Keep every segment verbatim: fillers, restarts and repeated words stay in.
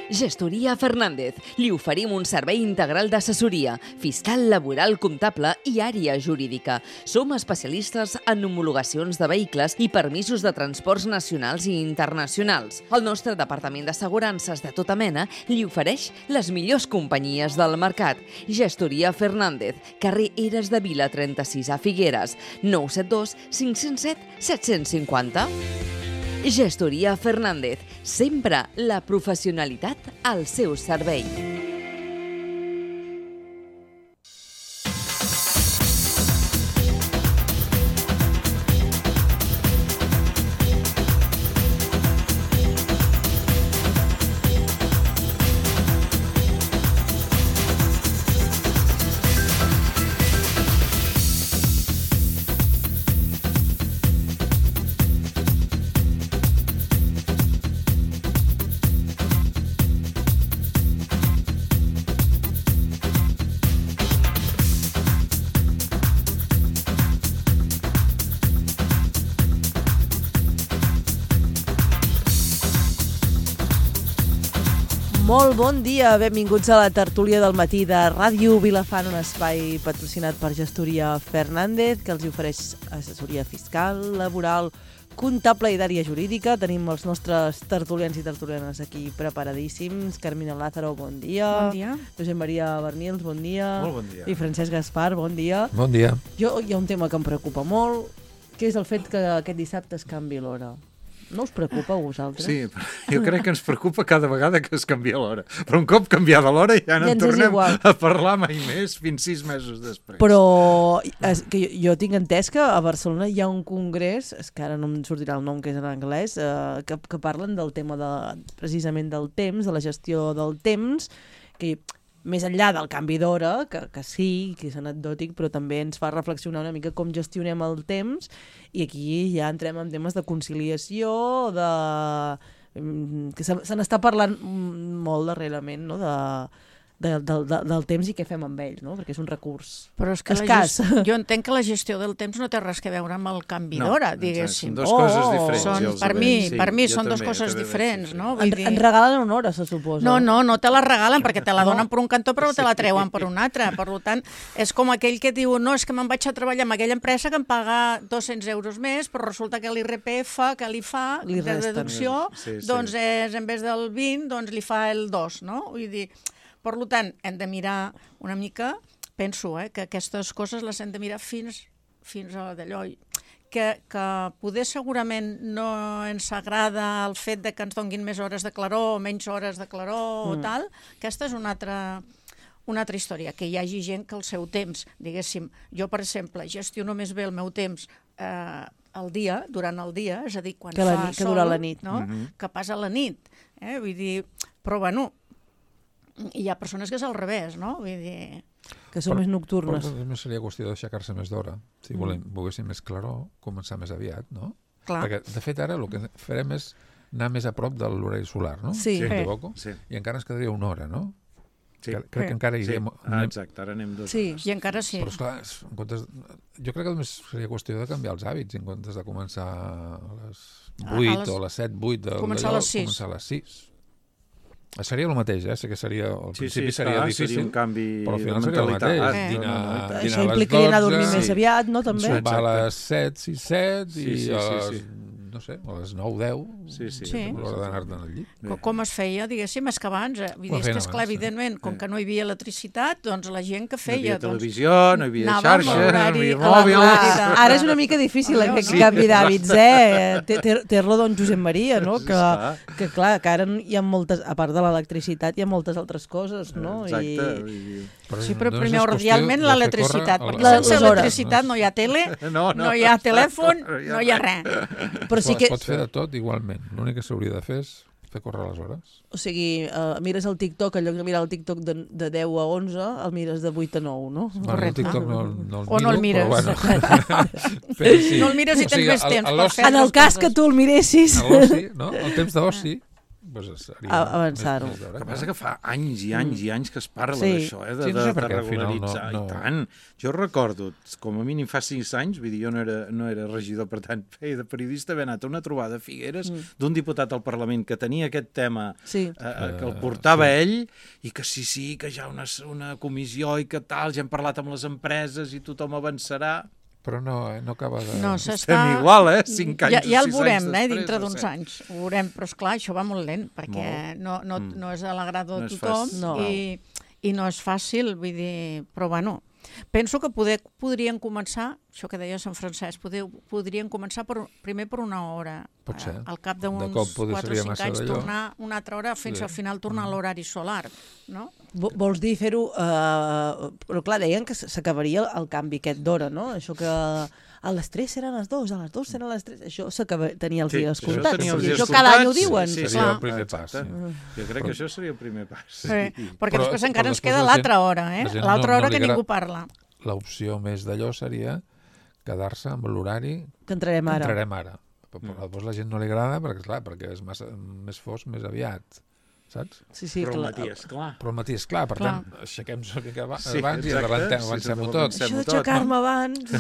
Gestoria Fernández. Li oferim un servei integral d'assessoria, fiscal, laboral, comptable i àrea jurídica. Som especialistes en homologacions de vehicles i permisos de transports nacionals i internacionals. El nostre departament d'assegurances de tota mena li ofereix les millors companyies del mercat. Gestoria Fernández, carrer Eres de Vila trenta-sis a Figueres, nou set dos cinc zero set set cinc zero. Gestoria Fernández, sempre la professionalitat al seu servei. Molt bon dia, benvinguts a la tertúlia del matí de Ràdio Vilafant, un espai patrocinat per Gestoria Fernández, que els ofereix assessoria fiscal, laboral, comptable i d'àrea jurídica. Tenim els nostres tertulians i tertulianes aquí preparadíssims. Carmina Lázaro, bon dia. Bon dia. Josep Maria Bernils, bon dia. Molt bon dia. I Francesc Gaspar, bon dia. Bon dia. Jo, hi ha un tema que em preocupa molt, que és el fet que aquest dissabte es canvi l'hora. No us preocupa a vosaltres? Sí, jo crec que ens preocupa cada vegada que es canvia l'hora. Però un cop canviada l'hora ja no ja en tornem igual. a parlar mai més fins sis mesos després. Però és que jo, jo tinc entès que a Barcelona hi ha un congrés, és que ara no em sortirà el nom que és en anglès, eh, que, que parlen del tema de, precisament del temps, de la gestió del temps, que més enllà del canvi d'hora, que, que sí, que és anecdòtic, però també ens fa reflexionar una mica com gestionem el temps, i aquí ja entrem en temes de conciliació, de que se, se n'està parlant molt darrerament, no?, de, de, de, de, del temps i què fem amb ell, no?, perquè és un recurs Però és que escàs. Gest... Jo entenc que la gestió del temps no té res a veure amb el canvi no, d'hora, diguéssim. Són dues coses Oh, diferents. Són, ja els per ho mi, veig. Sí, per mi jo són dues també, coses jo també diferents, veig, sí, no? En, Vull dir... en regalen una hora, se suposa. No, no, no te la regalen perquè te la No? donen per un cantó però te la treuen per un altre. Per tant, és com aquell que diu no, és que me'n vaig a treballar en aquella empresa que em paga dos-cents euros més, però resulta que l'I R P F que li fa Li de resten. deducció, Sí, sí. doncs és, en vez del vint, doncs li fa el dos, no? Vull dir, per tant, hem de mirar una mica, penso, eh, que aquestes coses les hem de mirar fins, fins a d'allò, que, que poder segurament no ens agrada el fet de que ens donguin més hores de claror o menys hores de claror mm. o tal, aquesta és una altra, una altra història, que hi hagi gent que el seu temps, diguéssim, jo per exemple gestiono més bé el meu temps eh, el dia, durant el dia, és a dir, quan que fa la nit, que sol, dura la nit. no? Mm-hmm. Que passa la nit, eh? Vull dir, però bueno, hi ha persones que és al revés, no? Vull dir... Que són Per- més Per nocturnes. nosaltres seria qüestió d'aixecar-se més d'hora. Si Mm. volem, volguéssim més claror, començar més aviat, no? Clar. Perquè, de fet, ara el que farem és anar més a prop de l'horari solar, no? Sí. Si Sí. m'equivoco. Sí. I encara ens quedaria una hora, no? Sí. Que, crec Sí. que encara Sí. iríem... Ah, exacte, ara anem dos Sí. hores. I encara sí. Però, esclar, és- en comptes, jo crec que només seria qüestió de canviar els hàbits, en comptes de començar a les vuit A les- o a les set, vuit, de, Començar a d'allò, les sis. començar a les sis. Seria el mateix, eh? Sé que seria, al Sí, sí, principi seria clar, difícil, seria un canvi però al final de seria el mentalitat. mateix. Eh. Dinar, No, no, no, dinar Això a les implicaria anar a dormir dotze, més aviat, no, també? sopar a Exacte. les set, sis, set, Sí, i sí, a sí, les, sí. no sé, a les nou, deu, Sí, sí. Sí. l'hora d'anar-te'n al llit. Com, com es feia, diguéssim, és que abans, eh? Vull dir, Ho és que, feien esclar, abans, sí. evidentment, com Sí. que no hi havia electricitat, doncs la gent que No hi feia... havia doncs, televisió, no hi havia anava amb xarxa, no hi l'horari havia a la mòbils... ràdio. Ara és una mica difícil aquest Sí. canvi d'hàbits, eh? Té- té- Té-lo don Josep Maria, no? Sí, Que, esclar. que clar, que ara hi ha moltes, a part de l'electricitat, hi ha moltes altres coses, no? Exacte. I... vull dir- Sí, però només és primordialment qüestió de fer l'electricitat, córrer perquè el- La- sense les hores. electricitat no hi ha tele, No, no. no hi ha telèfon, no hi ha res. Però sí Clar, que... es pot fer de tot igualment. L'únic que s'hauria de fer és fer córrer les hores. O sigui, uh, mires el TikTok, en lloc de mirar el TikTok de, de deu a onze, el mires de vuit a nou, no? Bueno, el Correcte. TikTok no, no el O no el miro, mires. però bueno. Però sí. No el mires i O tens sigui, més a- temps a per l'oci- fer En el altres cas coses. que tu el miressis... a l'oci, no? El temps d'oci, doncs seria A- avançar-ho. més- més d'hora, El que clar. passa que fa anys i anys i anys que es parla Sí. d'això, eh, de, Sí, no sé de, per de què al final regularitzar, no- no- i tant. Jo recordo, com a mínim fa sis anys, vull dir, jo no era, no era regidor, per tant, feia de periodista, haver anat a una trobada a Figueres mm. d'un diputat al Parlament que tenia aquest tema, Sí. eh, que el portava uh, sí. ell, i que sí, sí, que ja una, una comissió i que tal, ja hem parlat amb les empreses i tothom avançarà. Però no, eh, no acaba de... No, s'està... Estem igual, eh? Cinc anys ja, ja o el sis veurem, anys eh, després, dintre o d'uns set. anys. Ho veurem, però esclar, això va molt lent, perquè Molt. no, no, Mm. no és a l'agrado No de és tothom fàcil. No. i, i no és fàcil, vull dir, però bueno, penso que poder, podrien començar, això que deia Sant Francesc, poder, podrien començar per, primer per una hora. Pot ser. Eh, al cap De d'uns cop poder quatre o seria cinc massa anys d'allò. tornar una altra hora fins Sí. al final tornar a l'horari solar, no? Vo- Vols dir fer-ho... Uh, però clar, deien que s- s'acabaria el, el canvi aquest d'hora, no? Això que a les tres seran les dos, a les dos seran les tres... Això s'acaba- tenia els Sí, dies això comptats. tenia els I dies això cada any ho comptats, diuen. sí, sí, Seria clar. el primer pas. Exacte. Sí. Jo crec que això seria el primer pas. Sí. Perquè Però- després encara però ens després queda la gent- l'altra hora, eh? la gent L'altra no- hora no que li ningú agrada- parla. L'opció més d'allò seria quedar-se amb l'horari Que entrarem que ara. entrarem ara. Però, però llavors la gent no li agrada perquè, clar, perquè és massa, més fosc més aviat, saps? Sí, sí, Però el clar. matí, esclar. Però al matí, és clar, per Clar. tant, aixequem-nos una mica aba- Sí, abans i exacte. avancem, Sí, avancem-ho sí, tot. avancem. Això tot, d'aixecar-me abans...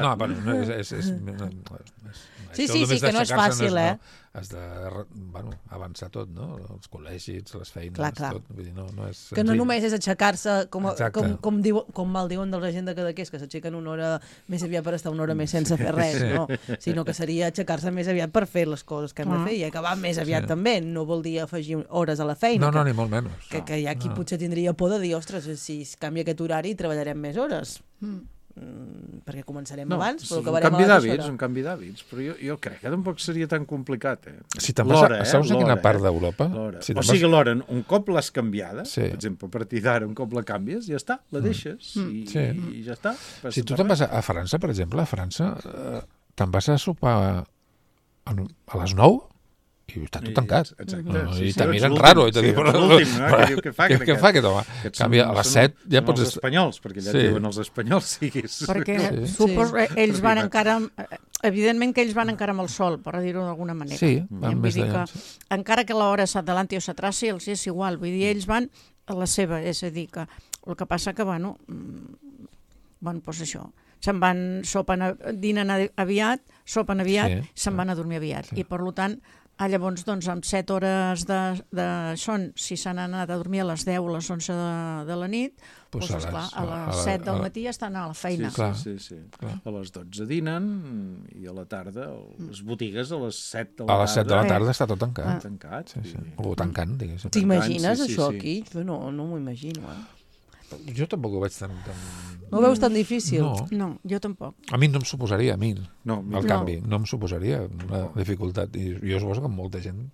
No, bueno, no, és, és, és, no, és, Sí, això sí, només sí, que no és d'aixecar-se fàcil, eh? No, has de bueno, avançar tot, no? Els col·legis, les feines, Clar, clar. tot. Vull dir, no, no és Que no senzill. només és aixecar-se, com, Exacte. com, com, diu, com mal diuen de la gent de Cadaqués, que s'aixequen una hora més aviat per estar una hora més sense fer res, no? Sinó que seria aixecar-se més aviat per fer les coses que hem de Clar. fer i acabar més aviat Sí. també. No vol dir afegir hores a la feina. No, no, que, ni molt menys. que, que hi ha qui No. potser tindria por de dir, ostres, si es canvia aquest horari treballarem més hores. Mm. Mm, perquè començarem No, abans, és però un acabarem canvi a la d'hàbits, hora. un canvi d'hàbits, però jo, jo crec que tampoc seria tan complicat, eh? Si te'n vas L'hora, a... eh? Saps a quina L'hora, part eh? d'Europa? L'hora. Si O te'n sigui, vas... l'hora, un cop l'has canviada, Sí. per exemple, a partir d'ara, un cop la canvies, ja està, la deixes, i, Sí. i ja està. passa Si tu per te'n res. vas a, a França, per exemple, a França, eh, te'n vas a sopar a, a les nou i està tot I- tancat. exacte, No, sí, I sí, te ets miren l'últim, raro. I te sí, diuen, ets l'últim, no? Que diu, què fa què, aquest? què fa aquest home? En Aquests canvi, són- a les són- set ja són pots... els est- espanyols, perquè allà Sí. sí. diuen els espanyols, siguis. Perquè Sí. suposo que ells van Propietat. encara... amb- Evidentment que ells van encara amb el sol, per dir-ho d'alguna manera. Sí, Vull van més dir d'allà. que, encara que l'hora s'adelanti o s'atraci, els és igual. Vull dir, ells van a la seva, és a dir, que el que passa que, bueno, mm, bueno, doncs això, se'n van, sopen, a- dinen a- aviat, sopen aviat, Sí, se'n sí. van a dormir aviat. Sí. I, per tant, ah, llavors, doncs, amb set hores de, de son, si s'han anat a dormir a les deu o les onze de, de la nit, Pues doncs, a esclar, les- a a la- les set a del la- matí ja estan a la feina. Sí, Clar, sí, sí, sí. clar. A les dotze dinen i a la tarda, les botigues a les set de la A tarda. les set de la Eh. tarda està tot Ah. tancat. Tancat. Sí, sí. i- O tancant, diguéssim. T'imagines sí, sí, això sí. aquí? Jo no, no m'ho imagino, eh? Jo tampoc ho veig tan... tan... No ho veus tan difícil? No, No, jo tampoc. a mi no em suposaria, a mi, No, el mira, canvi, no em suposaria una dificultat. I jo suposo que molta gent...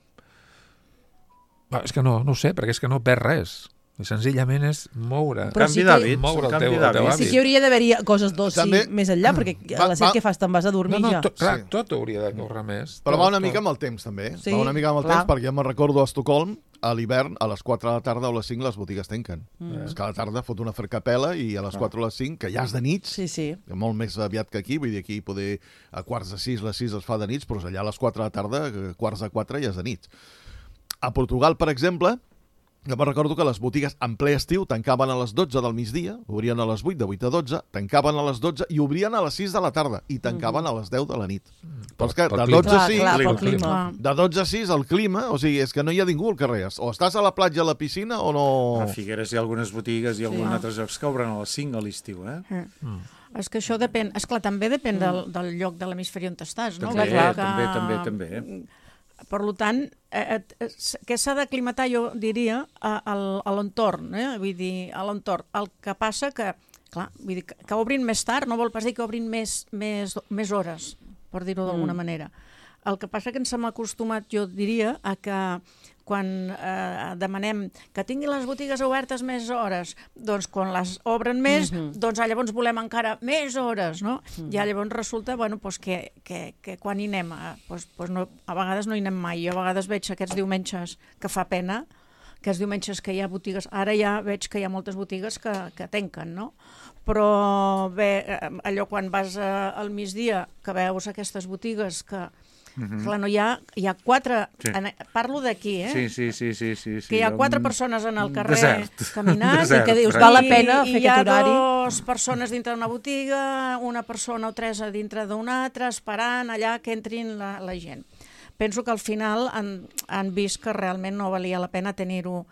Ah, és que no, no ho sé, perquè és que no perd res. I senzillament és moure, Però canvi sí que- d'hàbits, moure un el teu, canvi el teu d'hàbits. Sí hàbit. que hauria d'haver-hi coses d'oci També- més enllà, perquè a Va- les set va- que fas, te'n vas a dormir No, no, ja. tot, clar, Sí. tot hauria de córrer més. Però tot, va una tot. mica amb el temps, també. Sí, va una mica amb el clar. temps, perquè jo me'n recordo a Estocolm, a l'hivern, a les quatre de la tarda o a les cinc les botigues tanquen. Mm. És que a la tarda fot una fricapela i a les quatre o les cinc, que ja és de nit, Sí, sí. molt més aviat que aquí, vull dir, aquí poder a quarts de sis, les sis es fa de nits, però allà a les quatre de la tarda, eh, quarts de quatre ja és de nit. A Portugal, per exemple, jo me'n recordo que les botigues en ple estiu tancaven a les dotze del migdia, obrien a les vuit, de vuit a dotze, tancaven a les dotze i obrien a les sis de la tarda i tancaven a les deu de la nit. Però és que Pel de clima. dotze a Clar, sis... clar, clima, pel clima. Clar. De dotze a sis, el clima, o sigui, és que no hi ha ningú al carrer. O estàs a la platja, a la piscina, o no... A Figueres hi ha algunes botigues i alguns Sí. altres llocs que obren a les cinc a l'estiu, eh? Eh. És que això depèn, esclar, també depèn del, del lloc de l'hemisferi on estàs, no? També, Vull dir també, també, també. Per tant, eh, eh, que s'ha d'aclimatar, jo diria, a, a, a l'entorn, eh? Vull dir, a l'entorn. El que passa que, clar, vull dir, que, que obrin més tard no vol pas dir que obrin més, més, més hores, per dir-ho d'alguna Mm. manera. El que passa que ens hem acostumat, jo diria, a que quan eh, demanem que tinguin les botigues obertes més hores, doncs quan les obren més, Mhm. doncs ah, llavors volem encara més hores, no? Mhm. I llavors resulta, bueno, doncs que, que, que quan hi anem, eh, doncs, doncs no, a vegades no hi anem mai. Jo a vegades veig aquests diumenges que fa pena, aquests diumenges que hi ha botigues, ara ja veig que hi ha moltes botigues que, que tanquen, no? Però bé, eh, allò quan vas eh, al migdia, que veus aquestes botigues que Mm-hmm. Clar, no hi ha, hi ha quatre... Sí. En, parlo d'aquí, eh? Sí, sí, sí, sí, sí, sí. Que hi ha quatre Un persones en el carrer desert. caminant Desert, i que dius, Fran. val la I- pena i fer hi ha aquest horari. dos Dos persones dintre d'una botiga, una persona o tres a dintre d'una altra, esperant allà que entrin la, la gent. Penso que al final han, han vist que realment no valia la pena tenir-ho.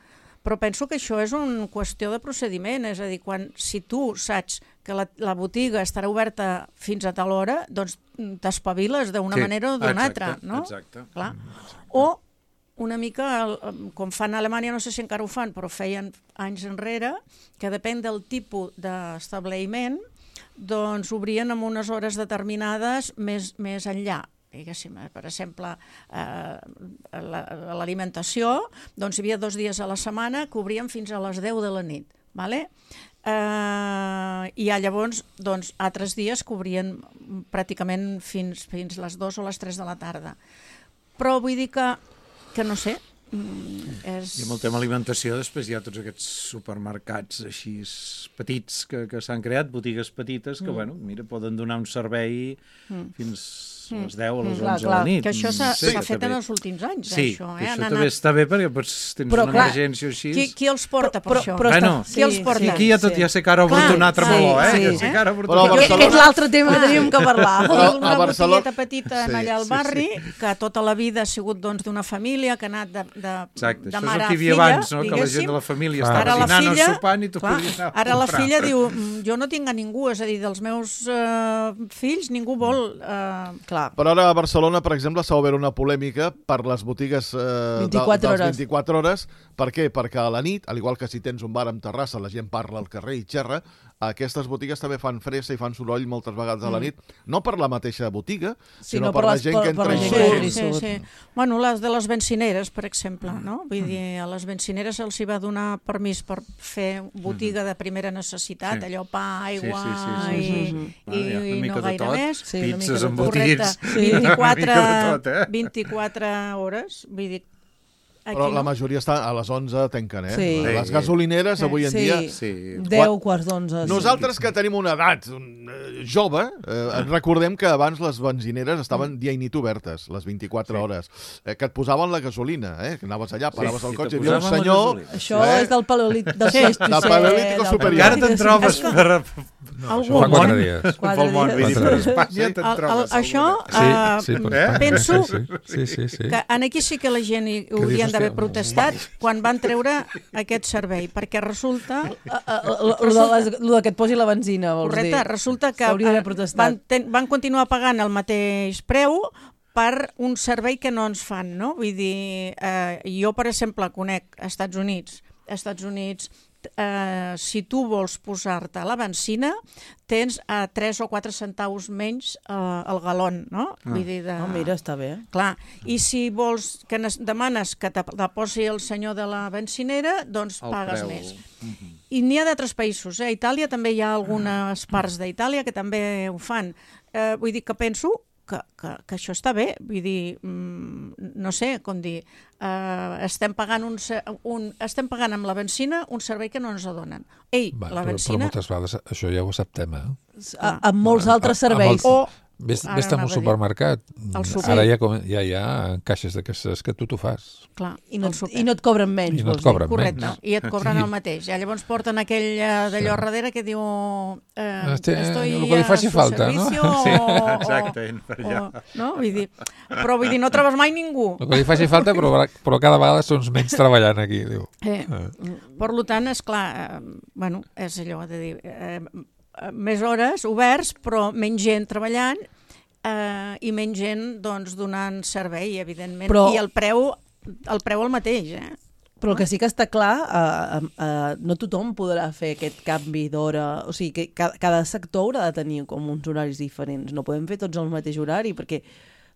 Però penso que això és una qüestió de procediment, és a dir, quan, si tu saps que la, la botiga estarà oberta fins a tal hora, doncs t'espaviles d'una Sí, manera o d'una exacte, altra, no? exacte. Clar. O una mica, el- com fan a Alemanya, no sé si encara ho fan, però feien anys enrere, que depèn del tipus d'establiment, doncs obrien amb unes hores determinades més, més enllà. Diguéssim, per exemple, eh, l'alimentació, doncs hi havia dos dies a la setmana que obrien fins a les deu de la nit, vale? Eh, i ja llavors, doncs, altres dies que obrien pràcticament fins, fins les dues o les tres de la tarda. Però vull dir que, que no sé, és... I amb el tema alimentació, després hi ha tots aquests supermercats així petits que, que s'han creat, botigues petites, que, mm. bueno, mira, poden donar un servei mm. fins a les deu o les Clar, onze de clar, la nit. Que això s'ha Sí, s'ha que fet també- en els últims anys, Sí, això. que Eh? això Han també anat... està bé perquè pots, tens Però, una clar, emergència o així. Qui, qui els porta per Però- això? però Bueno, està- qui els porta? I aquí ja tot ja sé que ara Clar, obert un altre sí, meló, eh? sí. Que sé que ara obert Però un a altre Que, que és Barcelona- l'altre tema que teníem que parlar. Però una a Barcelona- botigueta petita Sí, allà al sí, barri, que tota la vida ha sigut doncs, d'una família que ha anat de, de, Exacte, de això és mare el a que hi havia filla, abans, no? Que la gent diguéssim. de la família Clar. estava Ara la dinant o filla- sopant i tu clar, podies anar a ara la comprar. filla diu, "Mm, jo no tinc a ningú, és a dir, dels meus eh, fills ningú vol... Eh, Clar. Però ara a Barcelona, per exemple, s'ha obert una polèmica per les botigues eh, vint-i-quatre de, dels hores. vint-i-quatre hores. Per què? Perquè a la nit, al igual que si tens un bar amb terrassa, la gent parla al carrer i xerra, aquestes botigues també fan fressa i fan soroll moltes vegades a la nit, no per la mateixa botiga, sinó, Sinó per, per la les- gent per- que per entra la i gent surt. que Sí, entra. sí, sí. Bueno, les de les bencineres, per exemple, no? Vull dir, a les bencineres se'ls hi va donar permís per fer botiga de primera necessitat, Sí. allò pa, aigua Sí, sí, sí, sí, i, sí. i, Vale, una i mica no de gaire tot. més. Sí, una mica Pizzas de amb tot. botigues. Correcte. vint-i-quatre, Una mica de tot, eh? vint-i-quatre hores, vull dir, aquí Però la no. majoria està a les onze tanquen, eh? Sí. Les gasolineres avui en Sí. dia... Sí. deu, quarts d'onze. Nosaltres que tenim una edat eh, jove, eh, recordem que abans les benzineres estaven dia i nit obertes, les vint-i-quatre hores, eh, que et posaven la gasolina, eh? Que anaves allà, paraves Sí, el i cotxe, te hi havia un posaven la senyor... gasolina. Això eh? és del paleolític del Sí, Plistocè, del paleolític del superior. Encara te'n paleolític trobes superior. per... No, Algun això fa quatre món. dies. Quatre Pel món, vull dir, dies. per Espanya El, te'n el, trobes. això, Sí, eh, sí, per eh? Espanya, penso sí, sí, sí, sí. que en aquí sí que la gent hi dius, haurien d'haver hòstia, protestat quan van treure aquest servei, perquè resulta... Lo de que et posi la benzina, vols Correcte, dir. resulta que S'hauria d'haver eh, protestat. van, ten, van continuar pagant el mateix preu per un servei que no ens fan, no? Vull dir, eh, jo, per exemple, conec als Estats Units, als Estats Units, eh, si tu vols posar-te a la benzina, tens a tres o quatre centaus menys eh, el galon, no? Ah. Vull dir, de... Oh, mira, està bé. Clar, i si vols que nes- demanes que te la posi el senyor de la bencinera, doncs El pagues preu. més. I n'hi ha d'altres països, eh? A Itàlia també hi ha algunes parts d'Itàlia que també ho fan. Eh, vull dir que penso que, que, que això està bé, vull dir, mm, no sé com dir, eh, estem, pagant un, se- un, estem pagant amb la benzina un servei que no ens donen. Ei, Va, la però, però benzina... moltes vegades això ja ho acceptem, eh? A, amb molts altres A- amb serveis. el- O Ves, Ara ves a anava un a dir. supermercat. El súper. Ara ja, com, ja hi ha caixes d'aquestes que tu t'ho fas. Clar, I no, el súper. I no et cobren menys, I no et vols dir. cobren Correcte, menys. i et cobren el mateix. Ja llavors porten aquell eh, d'allò darrere que diu eh, Este, estoy el que li faci a su falta, no? servicio Sí, o, exacte, per o, allà. o, no? Vull dir, però vull dir, no trobes mai ningú. El que li faci falta, però, però cada vegada són menys treballant aquí, diu. Eh, per tant, és clar, eh, bueno, és allò de dir, eh, eh, més hores oberts, però menys gent treballant eh, i menys gent doncs, donant servei, evidentment, Però- i el preu, el preu el mateix, eh? Però el que sí que està clar, eh, eh, no tothom podrà fer aquest canvi d'hora. O sigui, que cada, cada sector haurà de tenir com uns horaris diferents. No podem fer tots el mateix horari, perquè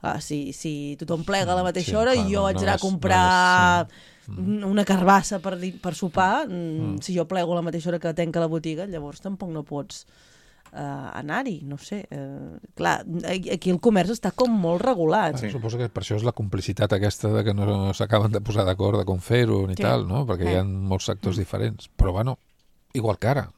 ah, si, si tothom plega a la mateixa Sí, hora clar, i jo no, haig no d'anar a és- comprar no una carbassa per, di- per sopar, Mm. mm. si jo plego a la mateixa hora que tanca la botiga, llavors tampoc no pots uh, anar-hi, no sé. Uh, clar, aquí el comerç està com molt regulat. Sí. Suposo que per això és la complicitat aquesta de que no s'acaben de posar d'acord de com fer-ho ni Sí. tal, no? Perquè Eh. hi ha molts sectors diferents. Però, bueno, igual que ara.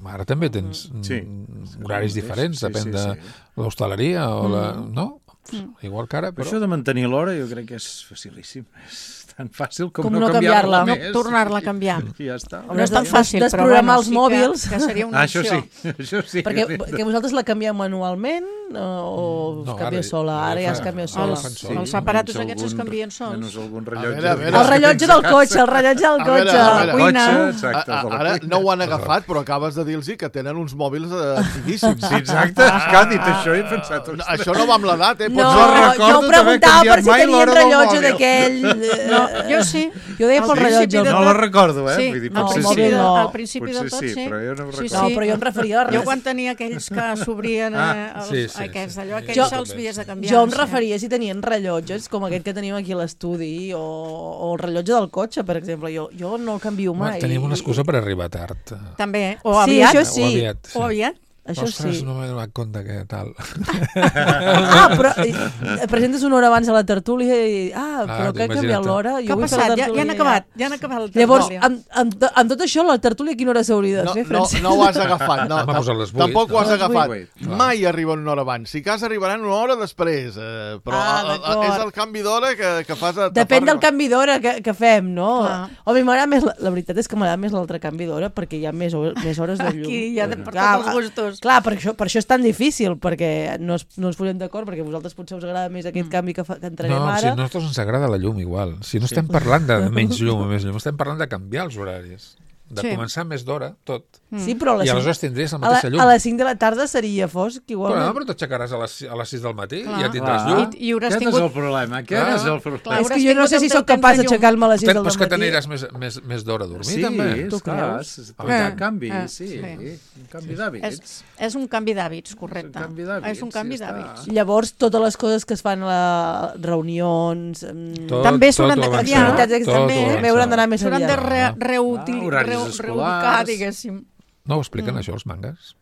Ara també tens Sí. mm, horaris diferents, Sí, depèn sí, de sí. l'hostaleria o la... no? Mm. Igual que ara, Però però... això de mantenir l'hora jo crec que és facilíssim. És tan fàcil com, Com no, no canviar-la canviar-la. més. No tornar-la a canviar. I ja està. No és tan des- fàcil, però desprogramar bueno, els sí mòbils. que, que seria una Ah, això opció. sí, això sí. Perquè que vosaltres la canvieu manualment o, o No, canvia ara- sola? ara Ara ja fa- es canvia ara sola. fan Els, sols. els aparatos Menys aquests es algun- canvien sols. Menys algun A rellotge. veure, a veure. El rellotge del cotxe, el rellotge del A veure, cotxe. a veure. cuina. Cotxe, exacte, A, a, de la ara cuina. no ho han agafat, però acabes de dir-los que tenen uns mòbils eh, antiquíssims. Sí, exacte. És que ha dit això i he pensat... No, ostres. això no va amb l'edat, eh? No, Pots- no jo recordo d'haver preguntava canviat per si mai tenien l'hora del rellotge mòbil. d'aquell. eh, No, jo sí. Jo deia pel Al rellotge. principi de No tot- la recordo, eh? Sí, Vull dir, al potser principi, sí. de, No. al principi Potser del tot, sí, sí. però jo no ho sí, recordo. No, però jo em referia a Jo res. quan tenia aquells que s'obrien, Ah. eh, els, Sí, sí, aquests sí. d'allò, Jo- aquells se'ls havies de canviar. Jo em sí. referia si tenien rellotges, com aquest que tenim aquí a l'estudi, o, o el rellotge del cotxe, per exemple. Jo, jo no el canvio mai. Home, tenim una excusa per arribar tard. També, o Sí, aviat. això sí. O aviat, sí. O aviat. Això Ostres, sí. no m'he donat compte que tal. Ah, però eh, presentes una hora abans a la tertúlia i... Ah, però Ah, que ha canviat imagina't. l'hora. Què ha passat? Ja, ja han acabat. Ja han acabat el Llavors, tertúlia. amb, amb, amb tot això, la tertúlia a quina hora s'hauria de No, fer, no, Francesc? no ho has agafat. No, Hem posat les vuit, tampoc ho no? has Les agafat. vuit, clar. Mai arriben una hora abans. Si cas, arribaran una hora després. Eh, però Ah, a- a- d'acord. és el canvi d'hora que, que fas... A, Depèn del canvi d'hora que, que fem, no? Clar. Home, m'agrada més, la, la veritat és que m'agrada més l'altre canvi d'hora perquè hi ha més, hores, més hores de llum. Aquí hi ha de, per Clar, tots els gustos. Clar, per això, per això és tan difícil, perquè no, es, no ens posem d'acord, perquè a vosaltres potser us agrada més aquest canvi que, fa, que entrarem No, si ara. a nosaltres ens agrada la llum igual. Si no estem parlant de menys llum o més llum, estem parlant de canviar els horaris. De Sí. començar més d'hora, tot. Sí, però a les, I cinc, aleshores tindries la a, la, mateixa llum. a les cinc de la tarda seria fosc, Però, igualment. no, però t'aixecaràs a, les, a les sis del matí Clar. i ja tindràs Clar. llum. I, i hauràs Aquest tingut... és el problema. Aquest Clar. és el problema. Clar, és que hauràs jo no sé tingut si el sóc teu capaç temps de llum. d'aixecar-me a les sis Però del és que matí. t'aniràs més, més, més d'hora a dormir, Sí, també. Tu esclar, creus? és Ah, un eh, canvi, eh, sí, sí. un canvi d'hàbits. És, és un canvi d'hàbits, correcte. És un canvi d'hàbits, És un canvi ja està. d'hàbits. Llavors, totes les coses que es fan a les reunions... mm, Tot, També tot s'hauran ho de avançar, canviar. Activitats extra, tot ho també avançar. hauran d'anar més S'hauran de aviat. re, Ah, reutil, horaris reu, escolars. reubicar, diguéssim. No ho expliquen, Mm. això, els mangas?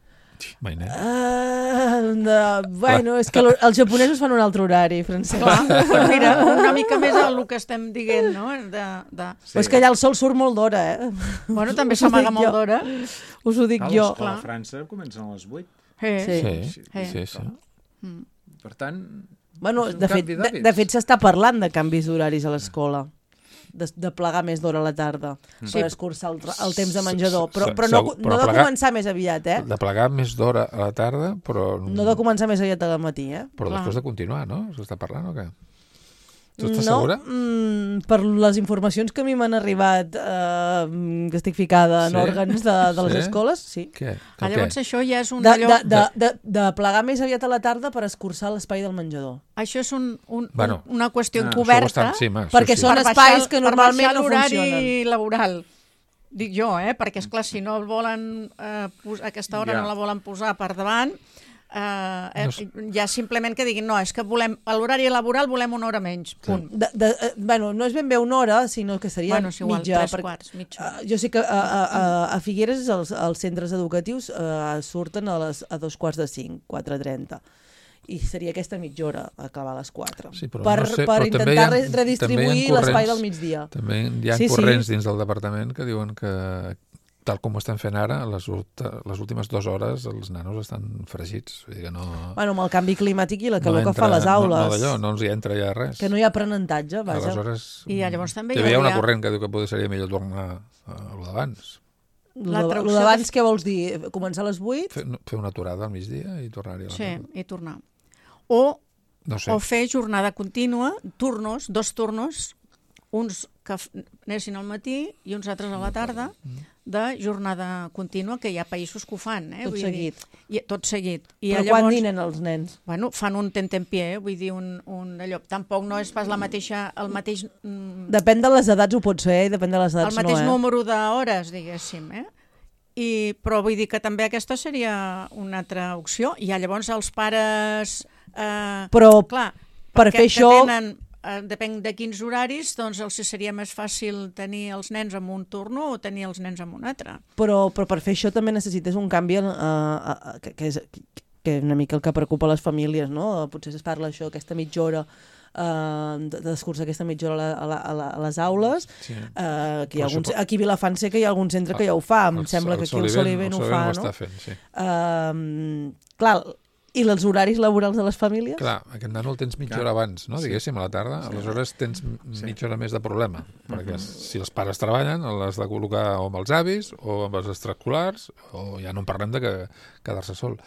Mai no. Ah, no, bueno, és que lo- els japonesos fan un altre horari, Francesc. Clar, però mira, una mica més el que estem dient, no? De, de... Però és que allà el sol surt molt d'hora, eh? Bueno, també Us ho s'amaga dic molt jo. d'hora. Us ho dic A jo. l'escola a Clar. França comencen a les vuit. Eh. Sí. Sí, Eh. sí, sí. Per tant, Bueno, és un de fet, canvi de, d'hàbits. de fet s'està parlant de canvis d'horaris a l'escola. De, de plegar més d'hora a la tarda per escurçar el, el temps de menjador. Però, Sí, però no, segur, no però de plegar- començar més aviat, eh? De plegar més d'hora a la tarda, però... No de començar més aviat al matí, eh? Però Clar. després de continuar, no? S'està parlant o què? Tu estàs no, segura? mm, per les informacions que a mi m'han arribat, eh, que estic ficada en Sí? òrgans de, de les Sí? escoles, sí. Què? Ah, Que llavors què? això ja és un De, allò... de, de, de, de plegar més aviat a la tarda per escurçar l'espai del menjador. Això és un, un, Bueno, un, una qüestió ah, això encoberta Això bastant, sí, ma, perquè sí, sí. són per espais baixar- que normalment per no baixar l'horari funcionen. laboral. Dic jo, eh? Perquè, esclar, si no el volen eh, pos aquesta hora Ja. no la volen posar per davant, eh, eh, No sé. ja simplement que diguin no, és que volem a l'horari laboral volem una hora menys, punt. De, de, eh, bueno, no és ben bé una hora, sinó que seria Bueno, és igual, mitja. tres perquè- quarts, mitja hora. Uh, jo sé que a, a, a, a Figueres els, els centres educatius uh, surten a, les, a dos quarts de cinc, quatre trenta. I seria aquesta mitja hora, acabar a les quatre. Sí, però per no sé, per però també hi ha- intentar re- també hi ha redistribuir corrents- l'espai del migdia. També hi ha Sí, sí. corrents dins del departament que diuen que, tal com ho estan fent ara, les, ulta- les últimes dues hores els nanos estan fregits. Vull dir que no... Bueno, amb el canvi climàtic i la calor no que fa a les aules. No, no d'allò, no els hi entra ja res. Que no hi ha aprenentatge, vaja. Aleshores, I llavors també hi hi havia una hauria- corrent que diu que potser seria millor tornar a lo d'abans. La Lo traducció d'abans, de- què vols dir? Començar a les vuit? Fer, no, fer una aturada al migdia i tornar-hi a la Sí, tarda. i tornar. O, No sé. o fer jornada contínua, turnos, dos turnos, uns que f- anessin al matí i uns altres a la tarda, de jornada contínua, que hi ha països que ho fan. Eh? Tot Vull seguit. Dir, i, tot seguit. I Però llavors, quan dinen els nens? Bueno, fan un tentempié, eh? Vull dir, un, un allò. Tampoc no és pas la mateixa, el mateix, mm, Depèn de les edats ho pot ser, i depèn de les el edats mateix no, eh? número d'hores, diguéssim, eh? I, però vull dir que també aquesta seria una altra opció. I llavors els pares... Eh, Però clar, per perquè fer això- que Tenen, eh, depèn de quins horaris, doncs els seria més fàcil tenir els nens en un turno o tenir els nens en un altre. Però, però per fer això també necessites un canvi uh, uh, que, que, és, que és una mica el que preocupa les famílies, no? Potser es parla això, aquesta mitja hora, uh, d'escurçar aquesta mitja hora a, la, a, la, a les aules. Sí. Uh, que hi ha Però alguns, supo- aquí a Vilafant sé que hi ha algun centre que ja ho fa, em El- sembla que aquí el Soliven- Soliven ho el fa, ho no? està fent, sí. Uh, clar, I els horaris laborals de les famílies? Clar, aquest nano el tens mitja Clar. hora abans, no? Sí. Diguéssim, a la tarda. Aleshores tens mitja hora més de problema. Perquè si els pares treballen, l'has de col·locar o amb els avis o amb els extraescolars, o ja no en parlem de que quedar-se sol.